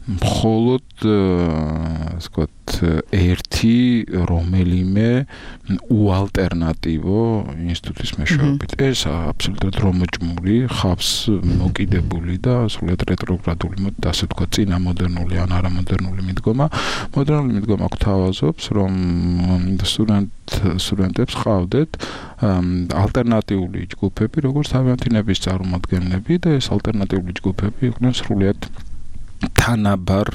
მხოლოდ ვთქვათ ერთი რომელიმე უალტერნატივო ინსტიტუტის მეშვეობით. ეს აბსოლუტურად რომოჭმული, ხავს მოკიდებული და სრულიად რეტროგრადული, ასე ვთქვათ, წინა მოდერნული ან არამოდერნული მიდგომა. მოდერნული მიდგომა გვთავაზობს, რომ სტუდენტ სტუდენტებს ყავდეთ ალტერნატიული ჯგუფები, როგორც თავიანთინების წარმომადგენლები და ეს ალტერნატიული ჯგუფები იყვნენ სრულიად თანაბარ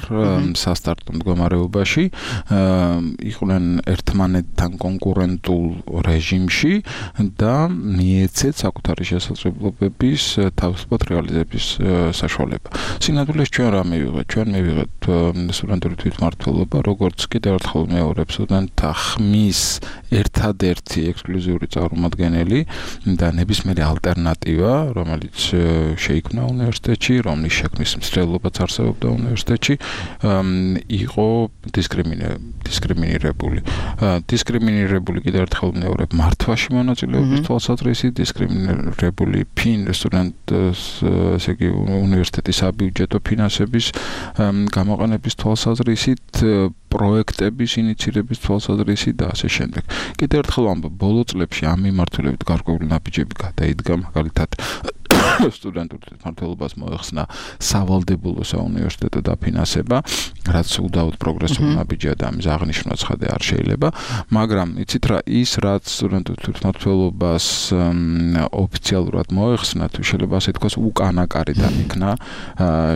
სასტარტო მდგომარეობაში, იყვნენ ერთმანეთთან კონკურენტულ რეჟიმში და მიეცეთ საკუთარი შესაძლებლობების თავისუფლად რეალიზების საშუალება. სინამდვილეს ჩვენ რა მივიღეთ? ჩვენ მივიღეთ სტუდენტური თვითმმართველობა, როგორც კიდევ ერთხელ მეორებ სტუდენტთა ხმის ერთადერთი ექსკლუზიური წარმომადგენელი და ნებისმიერი ალტერნატივა, რომელიც შეიქმნა უნივერსიტეტში, რომლის შექმნის მცდელობაც არსებობს და უნივერსიტეტში იყო დისკრიმინირებული. დისკრიმინირებული კიდევ ერთხელ მეორებ მართვაში მონაწილეობის თვალსაზრისით, დისკრიმინირებული ფინ სტუდენტს, ესე იგი უნივერსიტეტის საბიუჯეტო ფინანსების გამოყენების თვალსაზრისით, პროექტების ინიცირების თვალსაზრისით და ასე შემდეგ. კიდევ ერთხელ ვამბობ, ბოლო წლებში ამ მიმართულებით გარკვეული ნაბიჯები გადაიდგა, მაგალითად სტუდენტურ თვითმმართველობას მოეხსნა სავალდებულო საუნივერსიტეტო დაფინანსება, რაც უდაოდ პროგრესული ნაბიჯია და ამის აღნიშვნა ცხადე არ შეიძლება, მაგრამ იცით რა, ის რაც სტუდენტურ თვითმმართველობას ოფიციალურად მოეხსნა, თუ შეიძლება ასე თქვას, უკანა კარიდან იქნა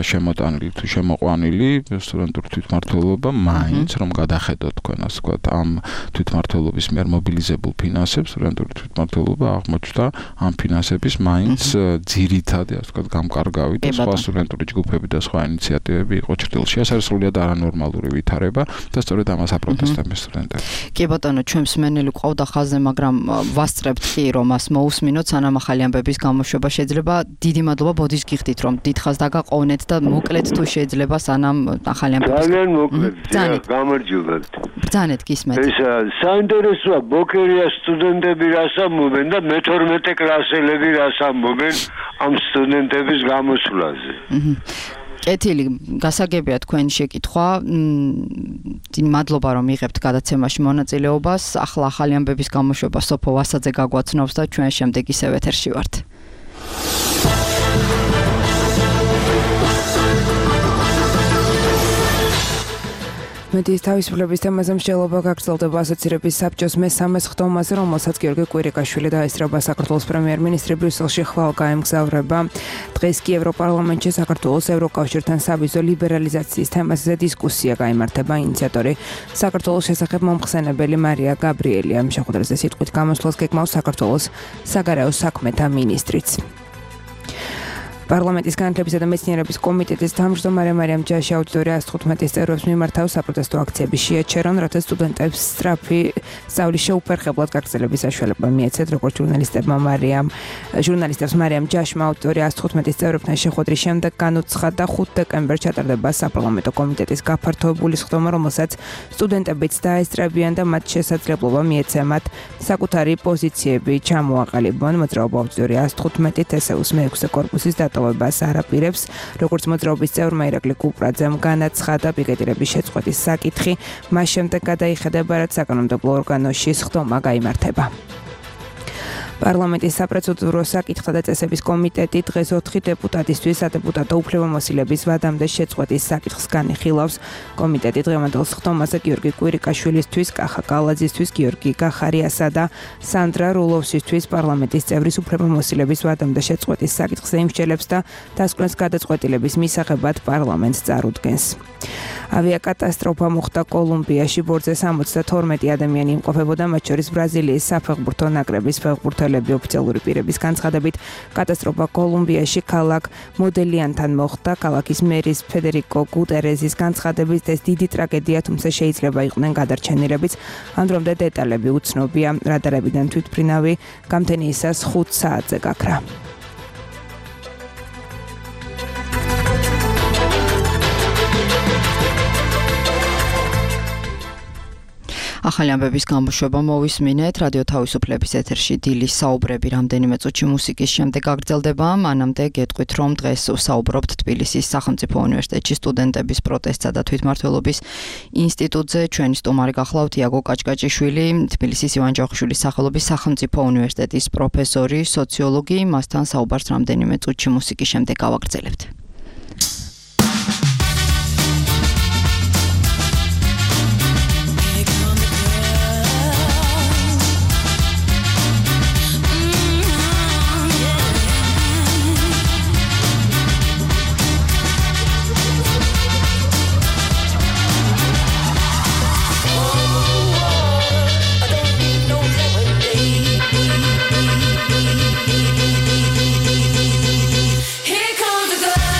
შემოტანილი თუ შემოყვანილი სტუდენტურ თვითმმართველობა, მაინც რომ გადახედოთ თქვენ ასე ვთქვათ, ამ თვითმმართველობის მიერ მობილიზებულ ფინანსებს, სტუდენტური თვითმმართველობა აღმოჩნდა ამ ფინანსების მაინც ძირი ძირითადი, ასე ვთქვათ, გამკარგავი და სხვა სტუდენტური ჯგუფები და სხვა ინიციატივები იყო ჭრილში. ეს არის სრულიად არანორმალური ვითარება და სწორედ ამას აპროტესტებენ სტუდენტები. კი ბატონო, ჩვენ მსმენელი ყავდა ხაზზე, მაგრამ ვასწრებთ კი რომ მას მოусმინოთ, სანამ ახალი ამბების გამოშვება შეიძლება. დიდი მადლობა, ბოდის გიხდით რომ დიდხაზ დაგაყოვნეთ და მოკლედ თუ შეიძლება სანამ ახალი ამბების ძალიან მოკლედ, გამარჯობათ. ბრძანეთ გისმენთ. ეს საინტერესოა, ბოქერია სტუდენტები რას ამბობენ და მეთორმეტე კლასელები რას ამბობენ ამ სტუდენტების გამოსვლაზე. კეთილი, გასაგებია თქვენი შეკითხვა. მადლობა რომ იღებთ გადაცემაში მონაწილეობას. ახლა ახალი ამბების გამოშვება სოფო ვასაძე გაგვაცნობს და ჩვენ შემდეგ ისევ ეთერში ვართ. მედიის თავისუფლების თემაზე მსჯელობა გაგრძელდება ასოცირების საბჭოს მესამე სხდომაზე, რომელსაც გიორგი კვირიკაშვილი დაესწრება. საქართველოს პრემიერ-მინისტრი ბრიუსელში ხვალ გაემგზავრება. დღეს კი ევროპარლამენტში საქართველოს ევროკავშირთან სავიზო ლიბერალიზაციის თემაზე დისკუსია გაიმართება. ინიციატორი საქართველოს შესახებ მომხსენებელი მარია გაბრიელი. ამ შეხვედრაზე სიტყვით გამოსვლას გეგმავს საქართველოს საგარეო საქმეთა მინისტრიც. პარლამენტის განათლებისა და მეცნიერების კომიტეტის თავმჯდომარე მარიამ ჯაში აუდიტორია ათოთხმეტის წევრებს მიმართავ საპროტესტო აქციები შეაჩერონ, რათა სტუდენტებს სწრაფი სწავლის შეუფერხებლად გაგრძელების საშუალება მიეცეთ, როგორც ჟურნალისტებმა მარიამ ჟურნალისტებს მარიამ ჯაშმა აუდიტორია ათოთხმეტის წევრებთან შეხვედრის შემდეგ განუცხადა ხუთი დეკემბერს ჩატარდება საპარლამენტო კომიტეტის გაფართოებული სხდომა, რომელსაც სტუდენტებიც დაესწრებიან და მათ შესაძლებლობა მიეცემათ საკუთარი პოზიციები ჩამოაყალიბონ. მოძრაობა აუდიტორია ათოთხმეტი თესეუს მეექვსე კორპუსის დატოვებას არაპირებს, როგორც მოძრაობის წევრმა ირაკლი კუპრაძემ განაცხადა, პიკეტირების შეწყვეტის საკითხი მას შემდეგ გადაიხედება, რაც საკანონმდებლო ორგანოში სხდომა გაიმართება. პარლამენტის საპროცედურო საკითხთა და წესების კომიტეტი დღეს ოთხი დეპუტატისთვის სადეპუტატო უფლებამოსილების ვადამდე შეწყვეტის საკითხს განიხილავს. კომიტეტი დღევანდელ სხდომაზე გიორგი კვირიკაშვილისთვის, კახა კალაძისთვის, გიორგი გახარიასა და სანდრა რულოვსისთვის პარლამენტის წევრის უფლებამოსილების ვადამდე შეწყვეტის საკითხს ემსჯელებს და დასკვნას გადაწყვეტილების მისაღებად პარლამენტს წარუდგენს. ავიაკატასტროფა მოხდა კოლუმბიაში, ბორტზე სამოცდათორმეტი ადამიანი იმყოფებოდა, მათ შორის ბრაზილიის საფეხბურთო ნაკრების ფეხბურთელები. ოფიციალური პირების განცხადებით, კატასტროფა კოლუმბიაში ქალაქ მოდელიანთან მოხდა. ქალაქის მერის ფედერიკო გუტერეზის განცხადებით, ეს დიდი ტრაგედია, თუმცა შეიძლება იყვნენ გადარჩენილებიც. ამ დრომდე დეტალები უცნობია. რადარებიდან თვითმფრინავი გამთენიისას ხუთ საათზე გაქრა. ახალი ამბების გამოშვება მოვისმინეთ. რადიო თავისუფლების ეთერში დილის საუბრები რამდენიმე წუთში მუსიკის შემდეგ გაგრძელდება. მანამდე გეტყვით, რომ დღეს ვსაუბრობთ თბილისის სახელმწიფო უნივერსიტეტში სტუდენტების პროტესტსა და თვითმმართველობის ინსტიტუტზე. ჩვენი სტუმარი გახლავთ იაგო კაჭკაჭიშვილი, თბილისის ივან ჯავახიშვილის სახელობის სახელმწიფო უნივერსიტეტის პროფესორი, სოციოლოგი. მასთან საუბარს რამდენიმე წუთში მუსიკის შემდეგ გავაგრძელებთ. Here comes the girl.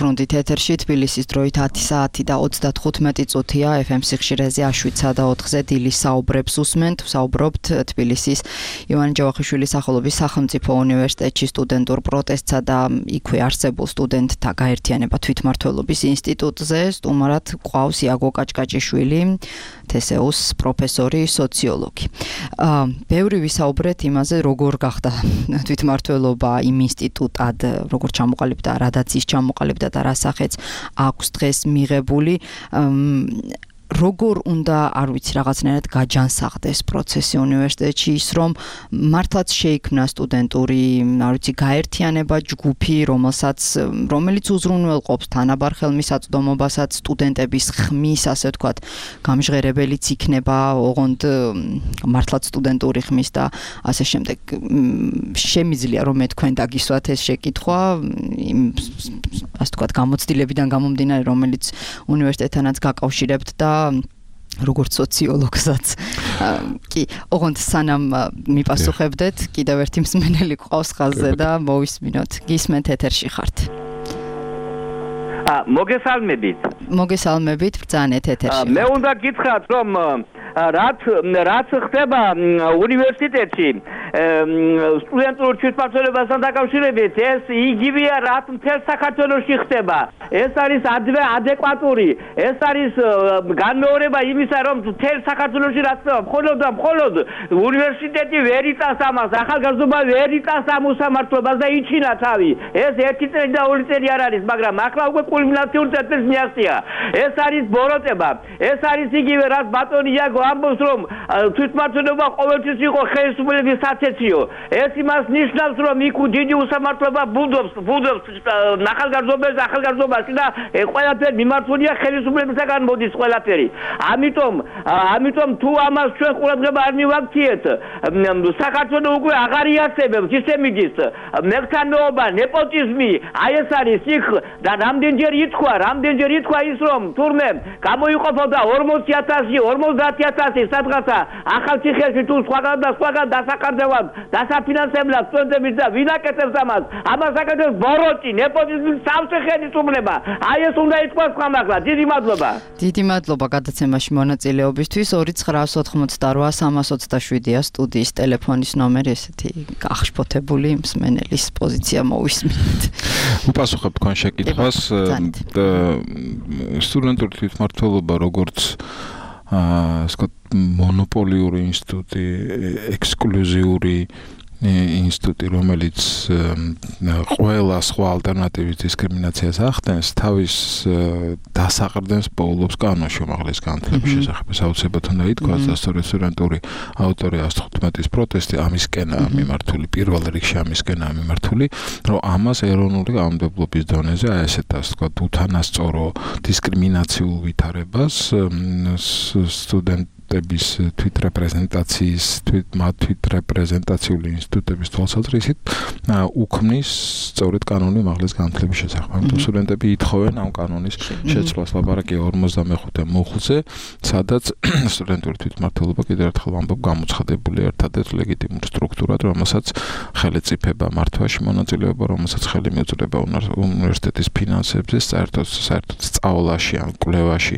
ვბრუნდით ეთერში თბილისის დროით ათი საათი და ოცდათხუთმეტი წუთია ეფ ემ სიხშირეზე შვიდსა და ოთხზე დილის საუბრებს უსმენთ ვსაუბრობთ თბილისის ივანე ჯავახიშვილის სახელობის სახელმწიფო უნივერსიტეტში სტუდენტურ პროტესტსა და იქვე არსებულ სტუდენტთა გაერთიანება თვითმმართველობის ინსტიტუტზე სტუმრად ყავს იაგო კაჭკაჭიშვილი თე ეს იუს პროფესორი სოციოლოგი ბევრი ვისაუბრეთ იმაზე როგორ გახდა თვითმმართველობა იმ ინსტიტუტად როგორ ჩამოყალიბდა რადაც ის ჩამოყალიბდა და რა სახეც აქვს დღეს მიღებული როგორ უნდა არ ვიცი რაღაცნაირად გაჯანსაღდეს პროცესი უნივერსიტეტში ის რომ მართლაც შეიქმნა სტუდენტური არ ვიცი გაერთიანება ჯგუფი რომელსაც რომელიც უზრუნველყოფს თანაბარ ხელმისაწვდომობასაც სტუდენტების ხმის ასე ვთქვათ გამჟღერებელიც იქნება ოღონდ მართლაც სტუდენტური ხმის და ასე შემდეგ შემიძლია რომ მე თქვენ დაგისვათ ეს შეკითხვა ასე ვთქვათ გამოცდილებიდან გამომდინარე რომელიც უნივერსიტეტთანაც გაკავშირებთ და როგორც სოციოლოგსაც კი ოღონდ სანამ მიპასუხებდეთ კიდევ ერთი მსმენელი ყავს ხაზზე და მოვისმინოთ გისმენთ ეთერში ხართ მოგესალმებით მოგესალმებით ბრძანეთ ეთერში მე უნდა გითხრათ რომ რაც რაც ხდება უნივერსიტეტში სტუდენტურ თვითმმართველობასთან დაკავშირებით ეს იგივეა რაც მთელ საქართველოში ხდება ეს არის ადეკვატური ეს არის განმეორება იმისა რომ მთელ საქართველოში რაც ხდება მხოლოდ და მხოლოდ უნივერსიტეტი ვერ იტანს ამას ახალგაზრდობა ვერ იტანს ამ უსამართლობას და იჩინა თავი ეს ერთი წელი და ორი წელი არ არის მაგრამ ახლა უკვე კულმინაციურ წერტილს მიაღწია ეს არის ბოროტება ეს არის იგივე რაც ბატონი იაგო ამბობს რომ თვითმმართველობა ყოველთვის იყო ხელისუფლების საცეციო ეს იმას ნიშნავს რომ იქ დიდი უსამართლობა ბუდობს ბუდობს ახალგაზრდობებს ახალგაზრდობაში და ყველაფერი მიმართულია ხელისუფლებისგან მოდის ყველაფერი ამიტომ ამიტომ თუ ამას ჩვენ ყურადღება არ მივაქციეთ საქართველოს უკვე აღარ იარსებებს ისე მიდის მეხსანეობა ნეპოტიზმი აი ეს არის იქ და რამდენჯერ ითქვა რამდენჯერ ითქვა ის რომ თურმე გამოიყოფოდა ორმოცი ათასი ორმოცდაათი ათასი სადღაცა ახალციხეში თუ სხვაგან და სხვაგან დასაკარდევად დასაფინანსებლად სტუდენტების და ვინ აკეთებს ამას ამას აკეთებს ბოროტი ნეპოტიზმის სავსე ხელისუფლება აი ეს უნდა ითქვას ხმამაღლა დიდი მადლობა დიდი მადლობა გადაცემაში მონაწილეობისთვის ორი ცხრაას ოთხმოცდარვა სამას ოცდაშვიდია სტუდიის ტელეფონის ნომერი ესეთი გახშფოთებული მსმენელის პოზიცია მოვისმინეთ უპასუხებ თქვენ შეკითხვას სტუდენტური თვითმმართველობა როგორც აა სკოთ მონოპოლიური ინსტიტუტი ექსკლუზიური ინსტიტუტი რომელიც ყველა სხვა ალტერნატივის დისკრიმინაციას ახდენს თავის დასაყრდენს პოულობს კანონში უმაღლეს განათლების შესახებ საოცრებად უნდა ითქვას და სწორედ სტუდენტური ავტორი ათს თხუთმეტის პროტესტი ამისკენაა მიმართული პირველ რიგში ამისკენაა მიმართული რომ ამას ეროვნული კანონმდებლობის დონეზე აი ესეთ ასე ვთქვათ უთანასწორო დისკრიმინაციულ ვითარებას სტუდენტ ტების თვითრეპრეზენტაციის თვით თვითრეპრეზენტაციული ინსტიტუტების თვალსაზრისით უქმნის სწორედ კანონი უმაღლეს განათლების შესახებ. ამიტომ სტუდენტები ითხოვენ ამ კანონის შეცვლას ლაპარაკია ორმოცდამეხუთე მუხლზე, სადაც სტუდენტური თვითმმართველობა კიდევ ერთხელ ვამბობ გამოცხადებული ერთადერთ ლეგიტიმურ სტრუქტურად, რომელსაც ხელეწიფება მართვაში მონაწილეობა, რომელსაც ხელი მიუწვდება უნივერსიტეტის ფინანსებზე, საერთოდ საერთოდ სწავლაში ან კვლევაში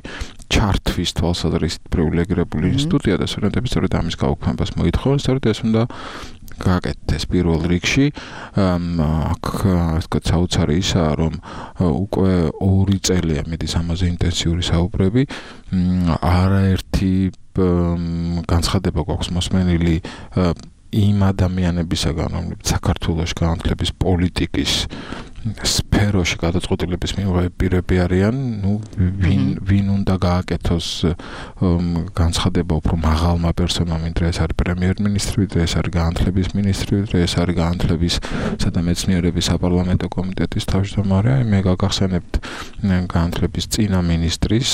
ჩართვის თვალსაზრისით პრივილეგირებული ინსტიტუტია და სტუდენტები სწორედ ამის გაუქმებას მოითხოვენ, სწორედ ეს უნდა გააკეთდეს პირველ რიგში. აქ ვთქვათ საოცარი ისაა, რომ უკვე ორი წელია მიდის ამაზე ინტენსიური საუბრები, არაერთი განცხადება გვაქვს მოსმენილი იმ ადამიანებისაგან, რომლებიც საქართველოს განათლების პოლიტიკის სფეროში გადაწყვეტილების მიღების პირები არიან, ну, ვინ ვინ უნდა გააკეთოს განცხადება უფრო მაღალმა პერსონამ, ვიდრე ეს არის პრემიერ-მინისტრი, ვიდრე ეს არის განათლების მინისტრი, ვიდრე ეს არის განათლებისა და მეცნიერების საპარლამენტო კომიტეტის თავმჯდომარე. მე გაგახსენებთ განათლების წინა მინისტრის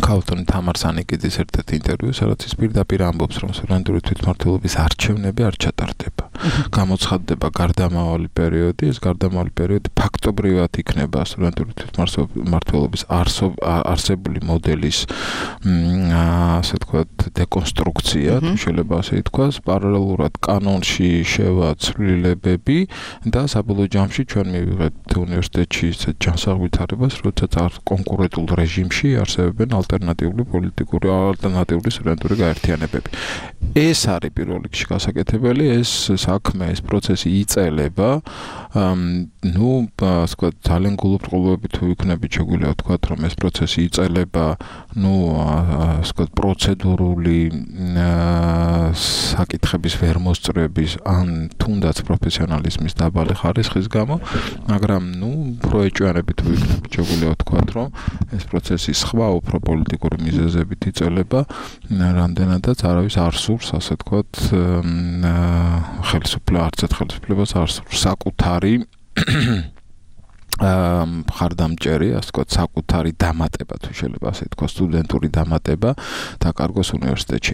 ქალბატონი თამარ სანიკიძის ერთ-ერთ ინტერვიუს, სადაც ის პირდაპირ ამბობს, რომ სტუდენტური თვითმმართველობის არჩევნები არ ჩატარდება. გამოცხადდება გარდამავალი პერიოდი, ეს გარდამავალი პერიოდი ფაქტობრივად იქნება სტუდენტური თვითმმართველობის არსებული მოდელის ასე ვთქვათ დეკონსტრუქცია, შეიძლება ასე ითქვას, პარალელურად კანონში შევა ცვლილებები და საბოლოო ჯამში ჩვენ მივიღებთ უნივერსიტეტში ისეთ ჯანსაღვითარებას, როდესაც კონკურენტულ რეჟიმში არსებობენ ალტერნატიული პოლიტიკური ალტერნატიული სტუდენტური გაერთიანებები. ეს არის პირველ რიგში გასაკეთებელი, ეს საქმე, ეს პროცესი იწელება, ну, ასე ვთქვათ, ძალიან გულუბრყოლოებით თუ იქნებით შეგვიძლია ვთქვათ, რომ ეს პროცესი იწელება, ну, ასე ვთქვათ, პროცედურული საკითხების ვერმოსწრების ან თუნდაც პროფესიონალიზმის დაბალი ხარისხის გამო, მაგრამ, ну, პროეჭვიანები თუ იქნებით შეგვიძლია ვთქვათ, რომ ეს პროცესი სხვა უფრო პოლიტიკური მიზეზებით იწელება, რამდენადაც არავის არ სურს, ასე ვთქვათ, ხელისუფლება, არც ერთ ხელისუფლებას არ სურს საკუთარი მხარდამჭერი, ასე ვთქვათ, საკუთარი დამატება, თუ შეიძლება ასე ვთქვათ, სტუდენტური დამატება დაკარგოს უნივერსიტეტში.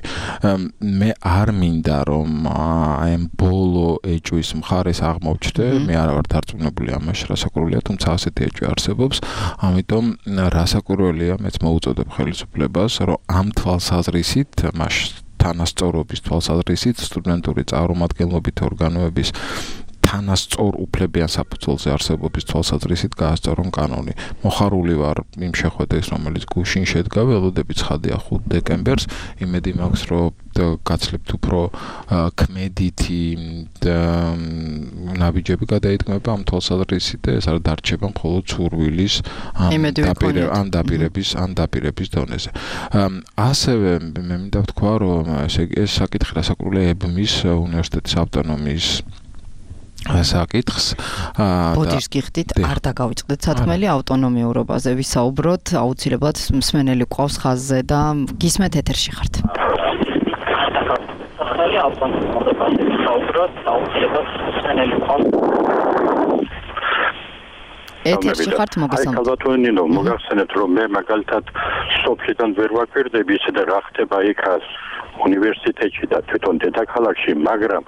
მე არ მინდა, რომ აი ამ ბოლო ეჭვის მხარეს აღმოვჩნდე, მე არ ვარ დარწმუნებული ამაში, რასაკვირველია, თუმცა ასეთი ეჭვი არსებობს, ამიტომ რასაკვირველია, მეც მოუწოდებ ხელისუფლებას, რომ ამ თვალსაზრისით, მას თანასწორობის თვალსაზრისით, სტუდენტური წარმომადგენლობით ორგანოების თანასწორ უფლებიან საფუძველზე არსებობის თვალსაზრისით გაასწორონ კანონი. მოხარული ვარ იმ შეხვედრის, რომელიც გუშინ შედგა, ველოდებით ცხადია ხუთ დეკემბერს, იმედი მაქვს, რომ გაცლებთ უფრო ქმედითი ნაბიჯები გადაიდგმება ამ თვალსაზრისით და ეს არ დარჩება მხოლოდ სურვილის ამ დაპირების ან დაპირების დონეზე. ასევე მე მინდა ვთქვა, რომ ეს საკითხი რასაკვირველია ებმის უნივერსიტეტის ავტონომიის საკითხს ბოდიშს გიხდით, არ დაგავიწყდეთ სათქმელი ავტონომიურობაზე ვისაუბროთ, აუცილებლად მსმენელი ყავს ხაზზე და გისმენთ ეთერში ხართ. ავტონომიურობაზე ვისაუბროთ, აუცილებლად მსმენელი ყავს. ეთერში ხართ, მოგესალმებით. აი, ქალბატონინო, მოგახსენებთ, რომ მე მაგალითად სოფლიდან ვერ ვაკვირდები ისე და რა ხდება იქაც უნივერსიტეტში და თვითონ დედაქალაქში, მაგრამ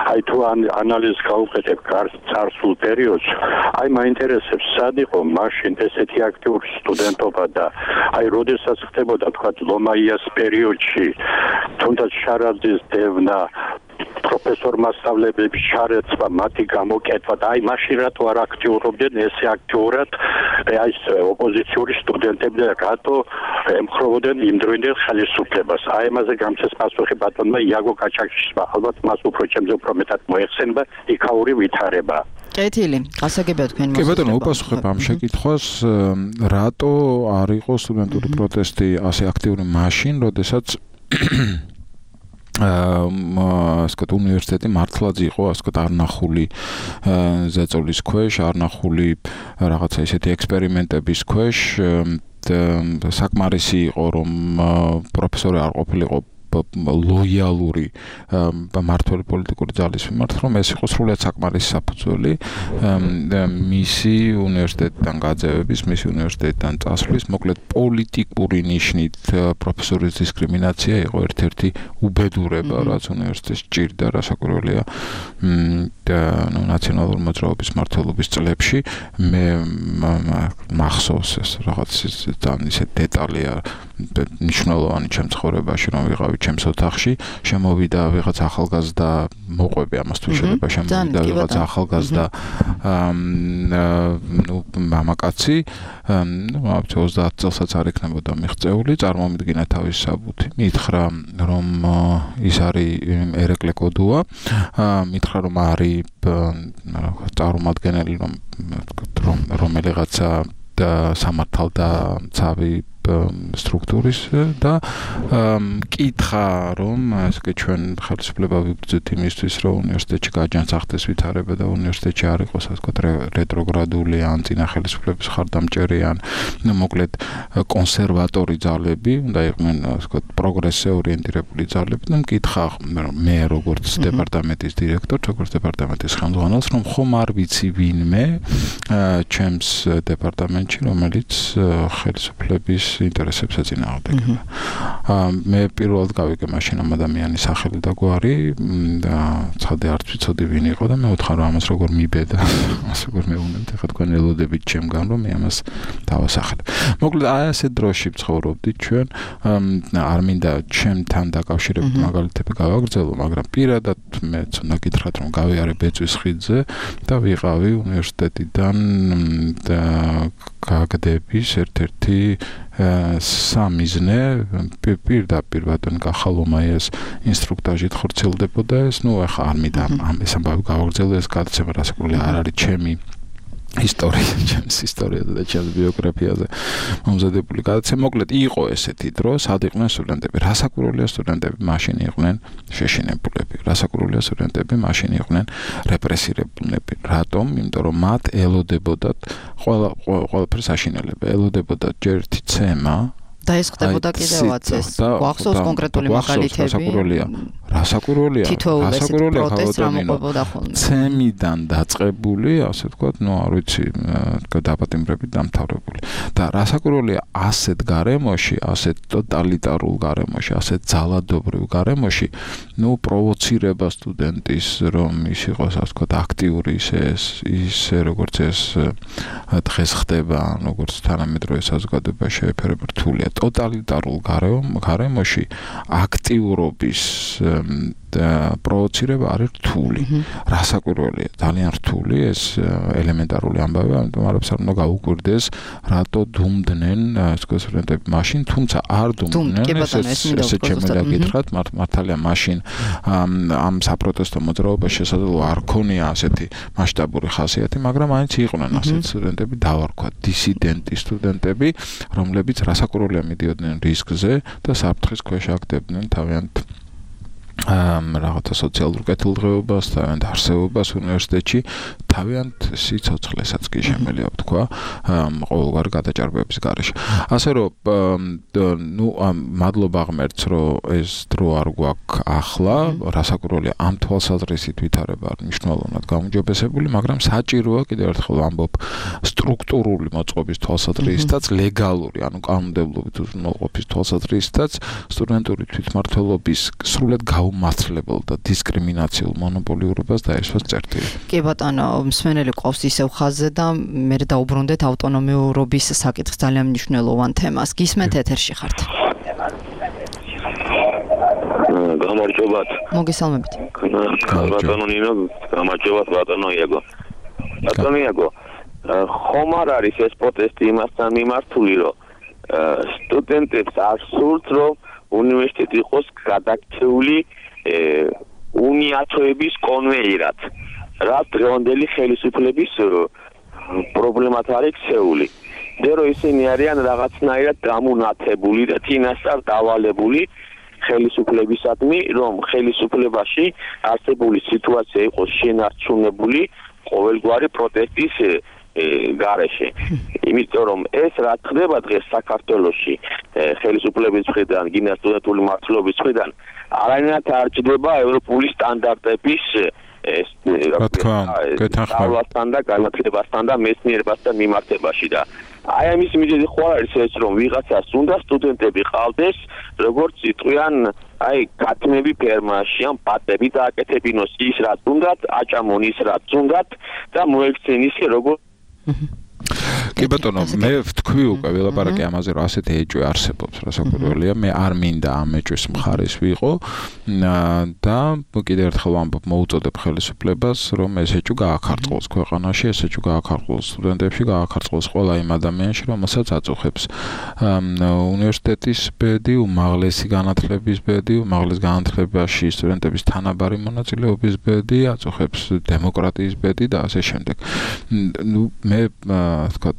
აი თუ ანალიზს გავუკეთებ წარსულ პერიოდს, აი მაინტერესებს სად იყო მაშინ ესეთი აქტიური სტუდენტობა და აი როდესაც ხდებოდა თქვა ლომაიას პერიოდში, თუნდაც შარაძის დევნა, პროფესორ მასწავლებლების შარეცვა, მათი გამოკეთვა და აი მაშინ რატო არ აქტიურობდნენ ესე აქტიურად აი ეს ოპოზიციური სტუდენტები და რატო ემხრობოდნენ იმდროინდელ ხელისუფლებას. აი ამაზე გამცეს პასუხი ბატონმა იაგო კაჭაკიშვილმა, ალბათ მას უფრო ჩემზე უფრო მეტად მოეხსენება იქაური ვითარება. კეთილი, გასაგებია თქვენი მოსაზრება. კი ბატონო, უპასუხებ ამ შეკითხვას, რატო არ იყო სტუდენტური პროტესტი ასე აქტიური მაშინ, როდესაც აა ასეთ უნივერსიტეტი მართლაც იყო ასეთ არნახული ზეწოლის ქვეშ, არნახული რაღაცა ისეთი ექსპერიმენტების ქვეშ, საკმარისი იყო რომ პროფესორი არ ყოფილიყო ლოიალური მმართველი პოლიტიკური ძალის მიმართ, რომ ეს იყო სრულიად საკმარისი საფუძველი მისი უნივერსიტეტიდან გაძევების, მისი უნივერსიტეტიდან წასვლის, მოკლედ პოლიტიკური ნიშნით პროფესორის დისკრიმინაცია იყო ერთ-ერთი უბედურება, რაც უნივერსიტეტს ჭირდა, რასაკვირველია ნუ ნაციონალური მოძრაობის მმართველობის წლებში. მე მახსოვს ეს რაღაც ძალიან ისე დეტალია, მნიშვნელოვანი ჩემ ცხოვრებაში, რომ ვიყავი ჩემს ოთახში, შემოვიდა ვიღაც ახალგაზრდა, მოყვები ამას თუ შეიძლება, შემოვიდა ვიღაც ახალგაზრდა ნუ მამაკაცი, ნუ ოცდაათ წელსაც არ იქნებოდა მიღწეული, წარმომიდგინა თავის საბუთი, მითხრა რომ ის არის ერეკლე კოდუა, მითხრა რომ არის წარმომადგენელი რომ რომელიღაცა სამართალდა ცავი სტრუქტურის და მკითხა რომ ესე ჩვენ ხელისუფლება ვიბრძვით იმისთვის რომ უნივერსიტეტში გაჯანსაღდეს ვითარება და უნივერსიტეტში არ იყოს ასე ვთქვათ რეტროგრადული ან წინა ხელისუფლების ხარდამჭერი ან მოკლედ კონსერვატორი ძალები უნდა იყვნენ ასე ვთქვათ პროგრესზე ორიენტირებული ძალები და მკითხა მე როგორც დეპარტამენტის დირექტორ როგორც დეპარტამენტის ხელმძღვანელს რომ ხომ არ ვიცი ვინმე ჩემს დეპარტამენტში რომელიც ხელისუფლების ინტერესებს ეწინააღმდეგება. მე პირველად გავიგე მაშინ ამ ადამიანის სახელი და გვარი და ცხადე არც ვიცოდი ვინ იყო და მე ვთხარ რომ ამას როგორ მიბედა, ამას როგორ მეუნებთ, ახლა თქვენ ელოდებით ჩემგან რომ მე ამას დავასახელებ. მოკლედ აი ასეთ დროში ვცხოვრობდით ჩვენ, არ მინდა ჩემთან დაკავშირებით მაგალითები გავაგრძელო, მაგრამ პირადად მეც უნდა გითხრათ რომ გავიარე ბეწვის ხიდზე და ვიყავი უნივერსიტეტიდან და გაგდების ერთ-ერთი სამიზნე პირდაპირ ბატონ კახალომაიას ინსტრუქტაჟით ხორციელდებოდა ეს, ну ახლა არ მინდა ამ ეს ამბავი გავაგრძელო, ეს გადაცემა რასაკურველი არ არის ჩემი ისტორია, ჩემს ისტორიაზე და ჩემს ბიოგრაფიაზე მომზადებული გადაცემა. მოკლედ იყო ესეთი დრო, სად იყვნენ სტუდენტები, რასაკურველია სტუდენტები მაშინ იყვნენ შეშინებულები, რასაკურველია სტუდენტები მაშინ იყვნენ რეპრესირებულები. რატომ? იმიტომ რომ მათ ელოდებოდათ ყველა ყველაფერს აშინელება, ელოდებოდათ ჯერ ერთი ცემა და ეს ხდებოდა კიდევაც ეს გვახსოვს კონკრეტული მაგალითები. რასაკურველია? რასაკურველია? რასაკურველია პროტესტ რამოყვებოდა ხოლმე. ცემიდან დაწყებული, ასე ვთქვათ, ნუ არ ვიცი, დაპატიმრებით დამთავრებული. და რასაკურველია ასეთ გარემოში, ასეთ ტოტალიტარულ გარემოში, ასეთ ძალადობრივ გარემოში, ნუ პროვოცირება სტუდენტის, რომ ის იყოს, ასე ვთქვათ, აქტიური ისე ისე როგორც ეს დღეს ხდება, როგორც თანამედროვე საზოგადოება შეეფერება რთულია. ტოტალიტარულ გარემოში აქტიურობის და პროვოცირება არის რთული. რასაკურველია? ძალიან რთული, ეს ელემენტარული ამბავია, ამიტომ არაფერს არ უნდა გაუკვირდეს, რატო დუმდნენ სტუდენტები მაშინ, თუმცა არ დუმდნენ, ესე შემიძლია გითხრათ, მართალია მაშინ ამ საპროტესტო მოძრაობას შესაძლოა არ ქონია ასეთი მასშტაბური ხასიათი, მაგრამ მაინც იყვნენ ასეთი სტუდენტები, დავარქვათ, დისიდენტი სტუდენტები, რომლებიც რასაკურველია მიდიოდნენ რისკზე და საფრთხის ქვეშ აგდებდნენ თავიანთ რაღაცა სოციალურ კეთილდღეობას, თავიანთ არსებობას უნივერსიტეტში, თავიანთ სიცოცხლესაც კი შემიძლია ვთქვა, ყოველგვარი გადაჭარბების გარეშე. ასე რომ, ნუ მადლობა ღმერთს, რომ ეს დრო არ გვაქვს ახლა, რასაკურველია ამ თვალსაზრისით ვითარება არ მნიშვნელოვნად გაუმჯობესებული, მაგრამ საჭიროა კიდევ ერთხელ ამბობ სტრუქტურული მოწყობის თვალსაზრისითაც, ლეგალური, ანუ კანონმდებლობით უზრუნველყოფის თვალსაზრისითაც, სტუდენტური თვითმმართველობის სრულად გაუმართლებელ და დისკრიმინაციულ მონოპოლიურობას დაეშვას წერტილი. კი ბატონო, მსმენელი ყავს ისევ ხაზზე და მე დაუბრუნდეთ ავტონომიურობის საკითხს ძალიან მნიშვნელოვან თემას. გისმენთ ეთერში ხართ. გამარჯობათ. მოგესალმებით. ბატონო ნინო, გამარჯობათ ბატონო იაგო. ბატონო იაგო, ხომ არ არის ეს პროტესტი იმასთან მიმართული, რომ სტუდენტებს არ სურთ, რომ უნივერსიტეტი იყოს გადაქცეული უნიათოების კონვეიერად, რაც დღევანდელი ხელისუფლების პრობლემად არის ქცეული. და რომ ისინი არიან რაღაცნაირად დამუნათებული და თინასწარ დავალებული ხელისუფლებისადმი, რომ ხელისუფლებაში არსებული სიტუაცია იყოს შენარჩუნებული ყოველგვარი პროტესტის გარეშე. იმიტომ რომ ეს რა ხდება დღეს საქართველოში ხელისუფლების მხრიდან, გინა სტუდენტური მმართველობის მხრიდან, არანაირად არ ჭდება ევროპული სტანდარტების ეს გეთანხმებასთან და განათლებასთან და მეცნიერებასთან მიმართებაში და აი ამის მიზეზი ხო არის ეს, რომ ვიღაცას უნდა სტუდენტები ყავდეს, როგორც იტყვიან, აი კათმები ფერმაში, ამ პატები დააკეთებინოს ის რაც უნდათ, აჭამონ ის რაც უნდათ და მოექცენ ისე როგორც კი ბატონო, მე ვთქვი უკვე ველაპარაკე ამაზე, რომ ასეთი ეჭვი არსებობს, რასაკურველია, მე არ მინდა ამ ეჭვის მხარეს ვიყო და კიდევ ერთხელ ვამბობ, მოუწოდებ ხელისუფლებას, რომ ეს ეჭვი გააქარწყოს ქვეყანაში, ეს ეჭვი გააქარწყოს სტუდენტებში, გააქარწყოს ყველა იმ ადამიანში, რომელსაც აწუხებს უნივერსიტეტის ბედი, უმაღლესი განათლების ბედი, უმაღლეს განათლებაში სტუდენტების თანაბარი მონაწილეობის ბედი, აწუხებს დემოკრატიის ბედი და ასე შემდეგ. ნუ მე ვთქვათ,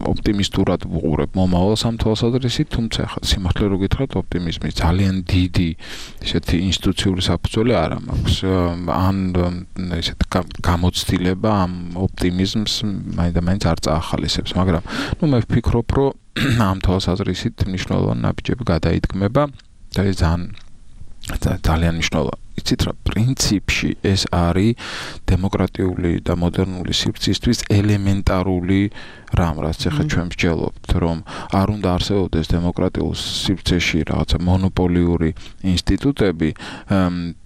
ოპტიმისტურად ვუყურებ მომავალს ამ თვალსაზრისით, თუმცა ხა სიმართლე რო გითხრათ, ოპტიმიზმის ძალიან დიდი ისეთი ინსტიტუციური საფუძველი არ მაქვს. ან ისეთ გამოცდილება ამ ოპტიმიზმს მაინდა-მაინც არ წაახალისებს, მაგრამ ნუ მე ვფიქრობ, რომ ამ თვალსაზრისით მნიშვნელოვანი ნაბიჯები გადაიდგმება და ეს ძალიან ძალიან მნიშვნელოვანი. იცით რა, პრინციპში ეს არის დემოკრატიული და მოდერნული სივრცისთვის ელემენტარული რამ, რაც ახლა ჩვენ ვსჯელობთ, რომ არ უნდა არსებობდეს დემოკრატიულ სივრცეში რაღაცა მონოპოლიური ინსტიტუტები,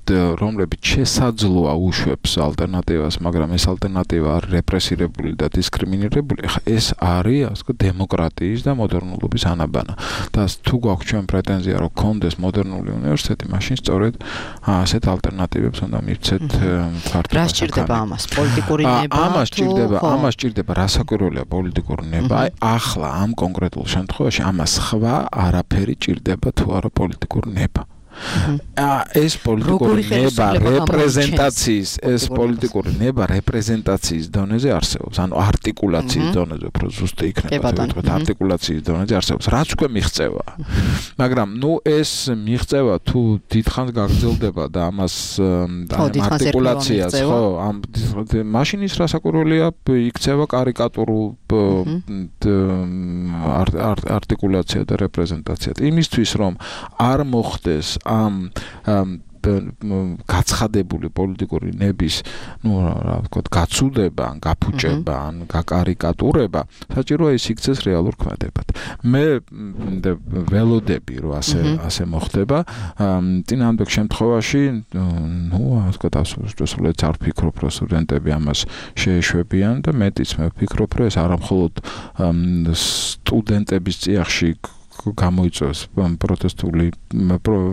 რომლებიც შესაძლოა უშვებს ალტერნატივას, მაგრამ ეს ალტერნატივა არის რეპრესირებული და დისკრიმინირებული. ახლა ეს არის, ასე ვთქვათ, დემოკრატიის და მოდერნულობის ანაბანა. და თუ გვაქვს ჩვენ პრეტენზია, რომ გქონდეს მოდერნული უნივერსიტეტი, მაშინ სწორედ ასეთ ალტერნატივებს უნდა მივცეთ ქართულ. რა სჭირდება ამას? პოლიტიკური ნება? ამას სჭირდება, ამას სჭირდება, რასაკვირველია პოლიტიკური ნება. აი, ახლა ამ კონკრეტულ შემთხვევაში ამას სხვა არაფერი ჭირდება თუ არა პოლიტიკური ნება. ეს პოლიტიკური ნება რეპრეზენტაციის ეს პოლიტიკური ნება რეპრეზენტაციის დონეზე არსებობს, ანუ არტიკულაციის დონეზე, უფრო ზუსტი იქნება, თქო, არტიკულაციის დონეზე არსებობს, რაც უკვე მიღწევა. მაგრამ ნუ ეს მიღწევა თუ დიდხანს გაგრძელდება და ამას არტიკულაციას, ხო, ამ მაშინ ის რასაკვირველია, იქცევა კარიკატურულ არტიკულაცია და რეპრეზენტაცია. იმისთვის რომ არ მოხდეს ამ გაცხადებული პოლიტიკური ნების, ну, რა ვთქვათ, გაცუდება, გაფუჭება, ან გაკარიკატურება, საჭიროა ის იქცეს რეალურ ქმედებად. მე ველოდები, რომ ასე ასე მოხდება, წინააღმდეგ შემთხვევაში, ну, ასე ვთქვათ, ასურსწორედ არ ვფიქრობ, რომ სტუდენტები ამას შეეშვებიან და მეტიც მე ვფიქრობ, რომ ეს არა მხოლოდ სტუდენტების წიაღში გამოიწვევს პროტესტული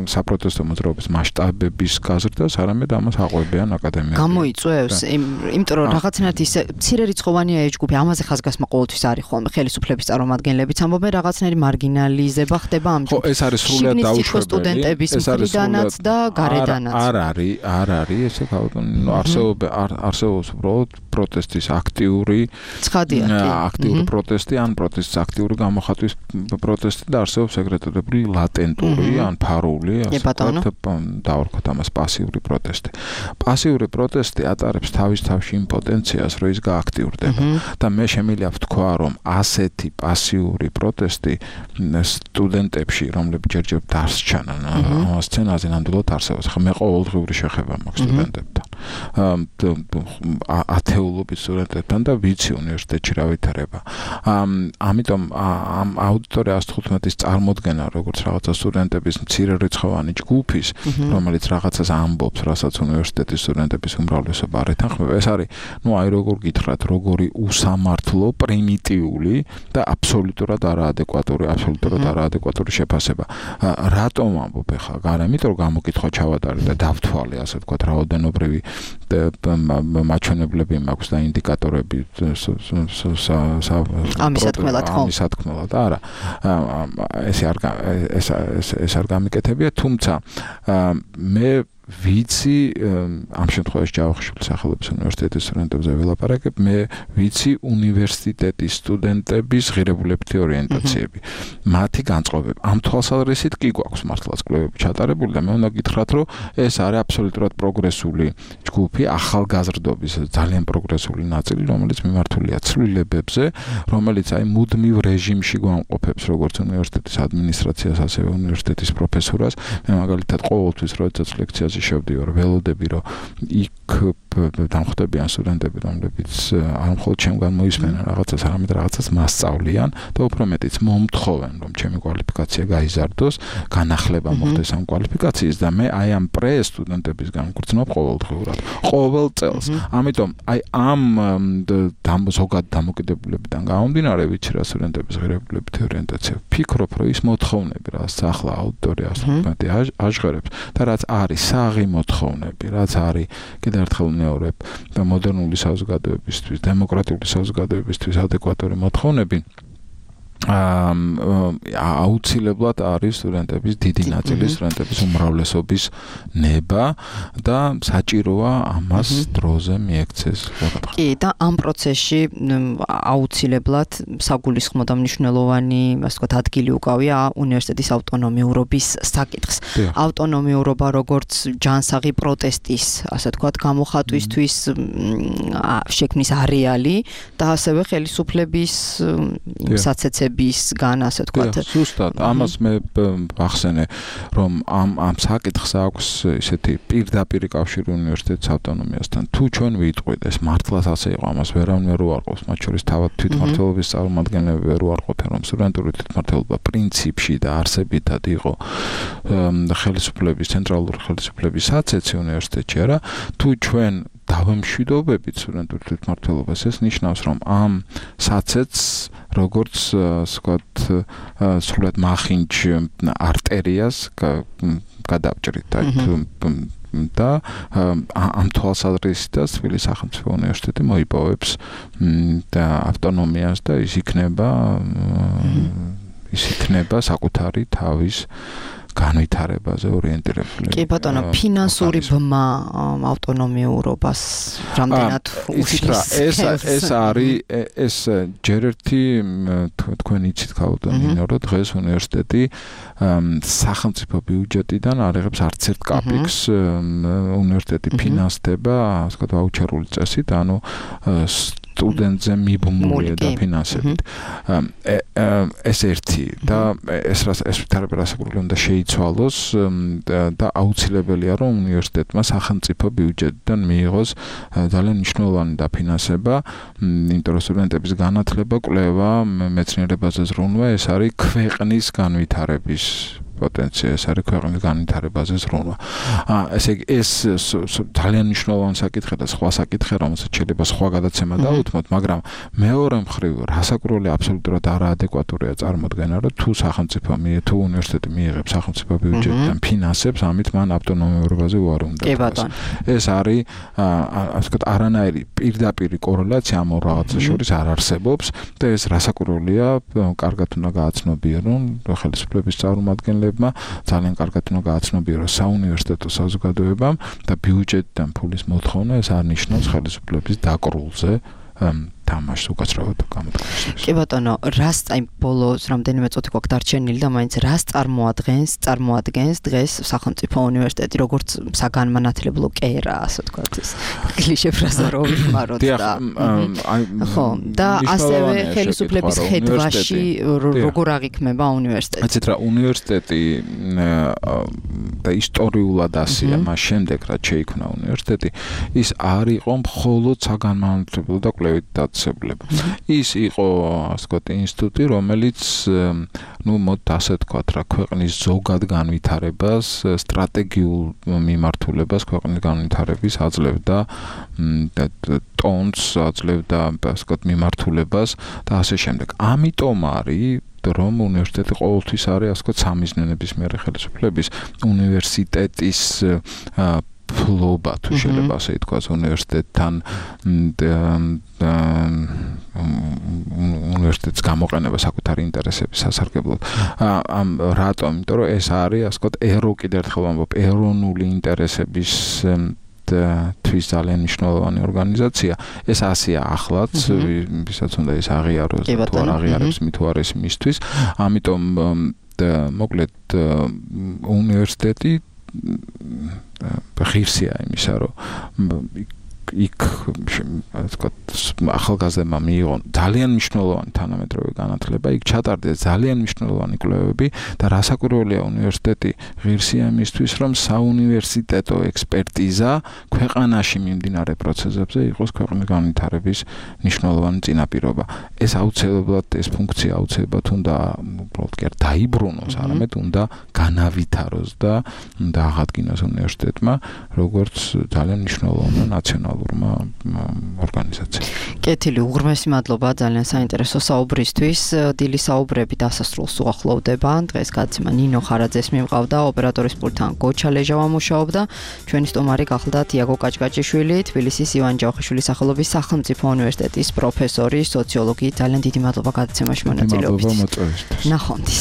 საპროტესტო მოძრაობის მასშტაბების გაზრდას, არამედ ამას აყვებიან აკადემიები. გამოიწვევს, იმიტომ რომ რაღაცნაირად ის მცირე რიცხოვანია ეს ჯგუფი, ამაზე ხაზგასმა ყოველთვის არის ხოლმე ხელისუფლების წარმომადგენლებიც ამბობენ, რაღაცნაირი მარგინალიზება ხდება ამ ჯგუფს. ხო, ეს არის სრულად დაუშვებელი. სტუდენტების მხრიდანაც და გარედანაც. არ არის, არ არის ესე გაუტონო, არსებობს არსებობს უბრალოდ პროტესტის აქტიური ცხადია, აქტიური პროტესტი, ან პროტესტის აქტიური გამოხატვის პროტესტი და არსებობს ეგრეთებული ლატენტური ან ფარული, ასე ვთქვათ, დავარქვათ ამას პასიური პროტესტი. პასიური პროტესტი ატარებს თავის თავში იმპოტენციას, რომ ის გააქტიურდება. და მე შემიძლია ვთქვა, რომ ასეთი პასიური პროტესტი სტუდენტებში, რომლებიც ჯერჯერ დასჩან ამ სცენაზე ნამდვილად არსებობს. ხა მე ყოველდღიური შეხება მაქვს სტუდენტებთან. ათეულობით სტუდენტებთან და ვიცი უნივერსიტეტში რა ვითარება. ამიტომ ამ აუდიტორია ას თხუთმეტის წარმოდგენა, როგორც რაღაცა სტუდენტების მცირერიცხოვანი ჯგუფის, რომელიც რაღაცას ამბობს, რასაც უნივერსიტეტის სტუდენტების უმრავლესობა არ ეთანხმება, ეს არის, ну, აი როგორ გითხრათ, როგორი უსამართლო, პრიმიტიული და აბსოლუტურად არაადეკვატური, აბსოლუტურად არაადეკვატური შეფასება. რატომ ამბობ ახლა? გარა, იმიტომ რომ გამოკითხვა ჩავატარე და დავთვალე, ასე ვთქვათ, რაოდენობრივი მაჩვენებლები მაქვს და ინდიკატორები ამისათქმელად ხო? ამისათქმელად, არა. ესე არ ეს ეს არ გამიკეთებია, თუმცა მე ვიცი ამ შემთხვევაში ჯავახიშვილის სახელობის უნივერსიტეტის სტუდენტებზე ველაპარაკებ, მე ვიცი უნივერსიტეტის სტუდენტების ღირებულებითი ორიენტაციები, მათი განწყობები. ამ თვალსაზრისით კი გვაქვს მართლაც კვლევები ჩატარებული და მე უნდა გითხრათ, რომ ეს არის აბსოლუტურად პროგრესული ჯგუფი, ახალგაზრდობის ძალიან პროგრესული ნაწილი, რომელიც მიმართულია ცვლილებებზე, რომელიც აი მუდმივ რეჟიმში გვამყოფებს როგორც უნივერსიტეტის ადმინისტრაციას, ასევე უნივერსიტეტის პროფესორას. მე მაგალითად ყოველთვის როდესაც ლექციაზე შევდივარ, ველოდები, რომ იქ დამხვდებიან სტუდენტები, რომლებიც არ მხოლოდ ჩემგან მოისმენენ რაღაცას, არამედ რაღაცას მასწავლიან და უფრო მეტიც მომთხოვენ, რომ ჩემი კვალიფიკაცია გაიზარდოს, განახლება მოხდეს ამ კვალიფიკაციის და მე აი ამ პრე სტუდენტებისგან ვგრძნობ ყოველდღიურად, ყოველ წელს. ამიტომ აი ამ ზოგად დამოკიდებულებიდან გამომდინარე, ვიცი რა სტუდენტების ღირებულებითი ორიენტაცია, ვფიქრობ, რომ ის მოთხოვნები, რაც ახლა აუდიტორიას მეტი აჟღერებს და რაც არის საღი მოთხოვნები, რაც არის კიდევ ერთხელ მეორებ და მოდერნული საზოგადოებისთვის, დემოკრატიული საზოგადოებისთვის ადეკვატური მოთხოვნები აუცილებლად არის სტუდენტების დიდი ნაწილი, სტუდენტების უმრავლესობის ნება და საჭიროა ამას დროზე მიექცეს. კი, და ამ პროცესში აუცილებლად საგულისხმო და მნიშვნელოვანი, ასე ვთქვათ, ადგილი უკავია უნივერსიტეტის ავტონომიურობის საკითხს. ავტონომიურობა როგორც ჯანსაღი პროტესტის, ასე ვთქვათ, გამოხატვისთვის შექმნის არეალი და ასევე ხელისუფლების საცეცები ცვლილებისგან, ასე ვთქვათ. ზუსტად, ამას მე ვახსენე, რომ ამ ამ საკითხს აქვს ისეთი პირდაპირი კავშირი უნივერსიტეტის ავტონომიასთან. თუ ჩვენ ვიტყვით, ეს მართლაც ასე იყო, ამას ვერავინ ვერ უარყოფს, მათ შორის თავად თვითმმართველობის წარმომადგენლები ვერ უარყოფენ, რომ სტუდენტური თვითმმართველობა პრინციპში და არსებითად იყო ხელისუფლების, ცენტრალური ხელისუფლების საცეცი უნივერსიტეტში, არა? თუ ჩვენ დავამშვიდობებით სტუდენტურ თვითმმართველობას, ეს ნიშნავს, რომ ამ საცეცს როგორც ვთქვათ, სრულად მახინჯ არტერიას გადავჭრით, აი და ამ თვალსაზრისითაც თბილისის სახელმწიფო უნივერსიტეტი მოიპოვებს და ავტონომიას და ის იქნება ის იქნება საკუთარი თავის განვითარებაზე ორიენტირებული. კი ბატონო, ფინანსური ბმა ავტონომიურობას რამდენად უშლის? ეს ეს არის ეს ჯერ ერთი თქვენ იცით ქალბატონო, რომ დღეს უნივერსიტეტი სახელმწიფო ბიუჯეტიდან არ იღებს არც ერთ კაპიკს, უნივერსიტეტი ფინანსდება, ასე ვთქვათ, ვაუჩერული წესით, ანუ სტუდენტზე მიბმულია და ფინანსებით. ეს ერთი და ეს ეს თერაპიასაკურული უნდა შეიცვალოს და აუცილებელია რომ უნივერსიტეტმა სახელმწიფო ბიუჯეტიდან მიიღოს ძალიან მნიშვნელოვანი დაფინანსება, იმიტომ რომ სტუდენტების განათლება, კვლევა, მეცნიერებაზე ზრუნვა ეს არის ქვეყნის განვითარების პოტენცია, ეს არის ქვეყნის განვითარებაზე ზრუნვა. აა ესე იგი ეს ძალიან მნიშვნელოვანი საკითხია და სხვა საკითხია, რომელსაც შეიძლება სხვა გადაცემა დაუთმოთ, მაგრამ მეორე მხრივ რასაკურველი აბსოლუტურად არაადეკვატურია წარმოქმნა, რომ თუ სახელმწიფო მie თუ უნივერსიტეტი მიიღებს სახელმწიფო ბიუჯეტიდან ფინანსებს, ამით მან ავტონომიურობაზე უარი უნდა თქვას. ეს არის ასე ვთქვათ, არანაირი პირდაპირი კორელაცია ამ ორ რაღაცას შორის არ არსებობს და ეს რასაკურველია, კარგად უნდა გააცნობიერონ ხელისუფლების წარმომადგენლები ძალიან კარგად უნდა გააცნობიეროს საუნივერსიტეტო საზოგადოებამ და ბიუჯეტიდან ფულის მოთხოვნა ეს არ ნიშნავს ხელისუფლების დაკრულზე თამაშს უკაცრავად გამოდგენას. კი ბატონო, რას აი ბოლოს რამდენიმე წუთი გვაქვს დარჩენილი და მაინც რას წარმოადგენს, წარმოადგენს დღეს სახელმწიფო უნივერსიტეტი, როგორც საგანმანათლებლო კერა, ასე ვთქვათ, ეს კლიშე ფრაზა რო ვიხმაროთ და ხო, და ასევე ხელისუფლების ხედვაში როგორ აღიქმება უნივერსიტეტი. იცით რა, უნივერსიტეტი და ისტორიულად ასია, მას შემდეგ რაც შეიქმნა უნივერსიტეტი, ის არ იყო მხოლოდ საგანმანათლებლო და კვლევით ის იყო, ასე ვთქვათ, ინსტიტუტი, რომელიც, ну, მოდ ასე ვთქვათ, რა, ქვეყნის ზოგად განვითარებას, სტრატეგიულ მიმართულებას, ქვეყნის განვითარების აძლევდა ტონს, აძლევდა, ასე ვთქვათ, მიმართულებას და ასე შემდეგ. ამიტომ არის რომ უნივერსიტეტი ყოველთვის არის, ასე ვთქვათ, სამიზნენების მიერ ხელისუფლების უნივერსიტეტის ფლობა თუ შეიძლება ასე ითქვას უნივერსიტეტთან უნივერსიტეტის გამოყენება საკუთარი ინტერესების სასარგებლოდ. ამ რატომ? იმიტომ რომ ეს არის, ასე ვთქვათ, ერო კიდევ ერთხელ ვამბობ, ეროვნული ინტერესების თვის ძალიან მნიშვნელოვანი ორგანიზაცია. ეს ასია ახლაც, ვისაც უნდა ის აღიაროს და თუ არ აღიარებს, მით თუ არის მისთვის. ამიტომ მოკლედ უნივერსიტეტი ღირსია იმისა, რომ იქ ასე ვთქვათ, ახალგაზრდებმა მიიღონ ძალიან მნიშვნელოვანი თანამედროვე განათლება, იქ ჩატარდეს ძალიან მნიშვნელოვანი კვლევები და რასაკვირველია უნივერსიტეტი ღირსია იმისთვის, რომ საუნივერსიტეტო ექსპერტიზა ქვეყანაში მიმდინარე პროცესებზე იყოს ქვეყნის განვითარების მნიშვნელოვანი წინაპირობა. ეს აუცილებლად, ეს ფუნქცია აუცილებლად უნდა უბრალოდ კი არ დაიბრუნოს, არამედ უნდა განავითაროს და უნდა აღადგინოს უნივერსიტეტმა, როგორც ძალიან მნიშვნელოვანი ნაციონალური ორგანიზაცია. კეთილი, უღრმესი მადლობა ძალიან საინტერესო საუბრისთვის. დილი საუბრები დასასრულს უახლოვდება. დღეს გადაცემა ნინო ხარაძეს მიმყავდა, ოპერატორის პულტთან გოჩა ლეჟავა მუშაობდა. ჩვენი სტუმარი გახლდათ იაგო კაჭკაჭიშვილი, თბილისის ივან ჯავხიშვილის სახელობის სახელმწიფო უნივერსიტეტის პროფესორი, სოციოლოგი. ძალიან დიდი მადლობა გადაცემაში მონაწილეობისთვის. მადლობა მოწვევისთვის. ნახვამდის.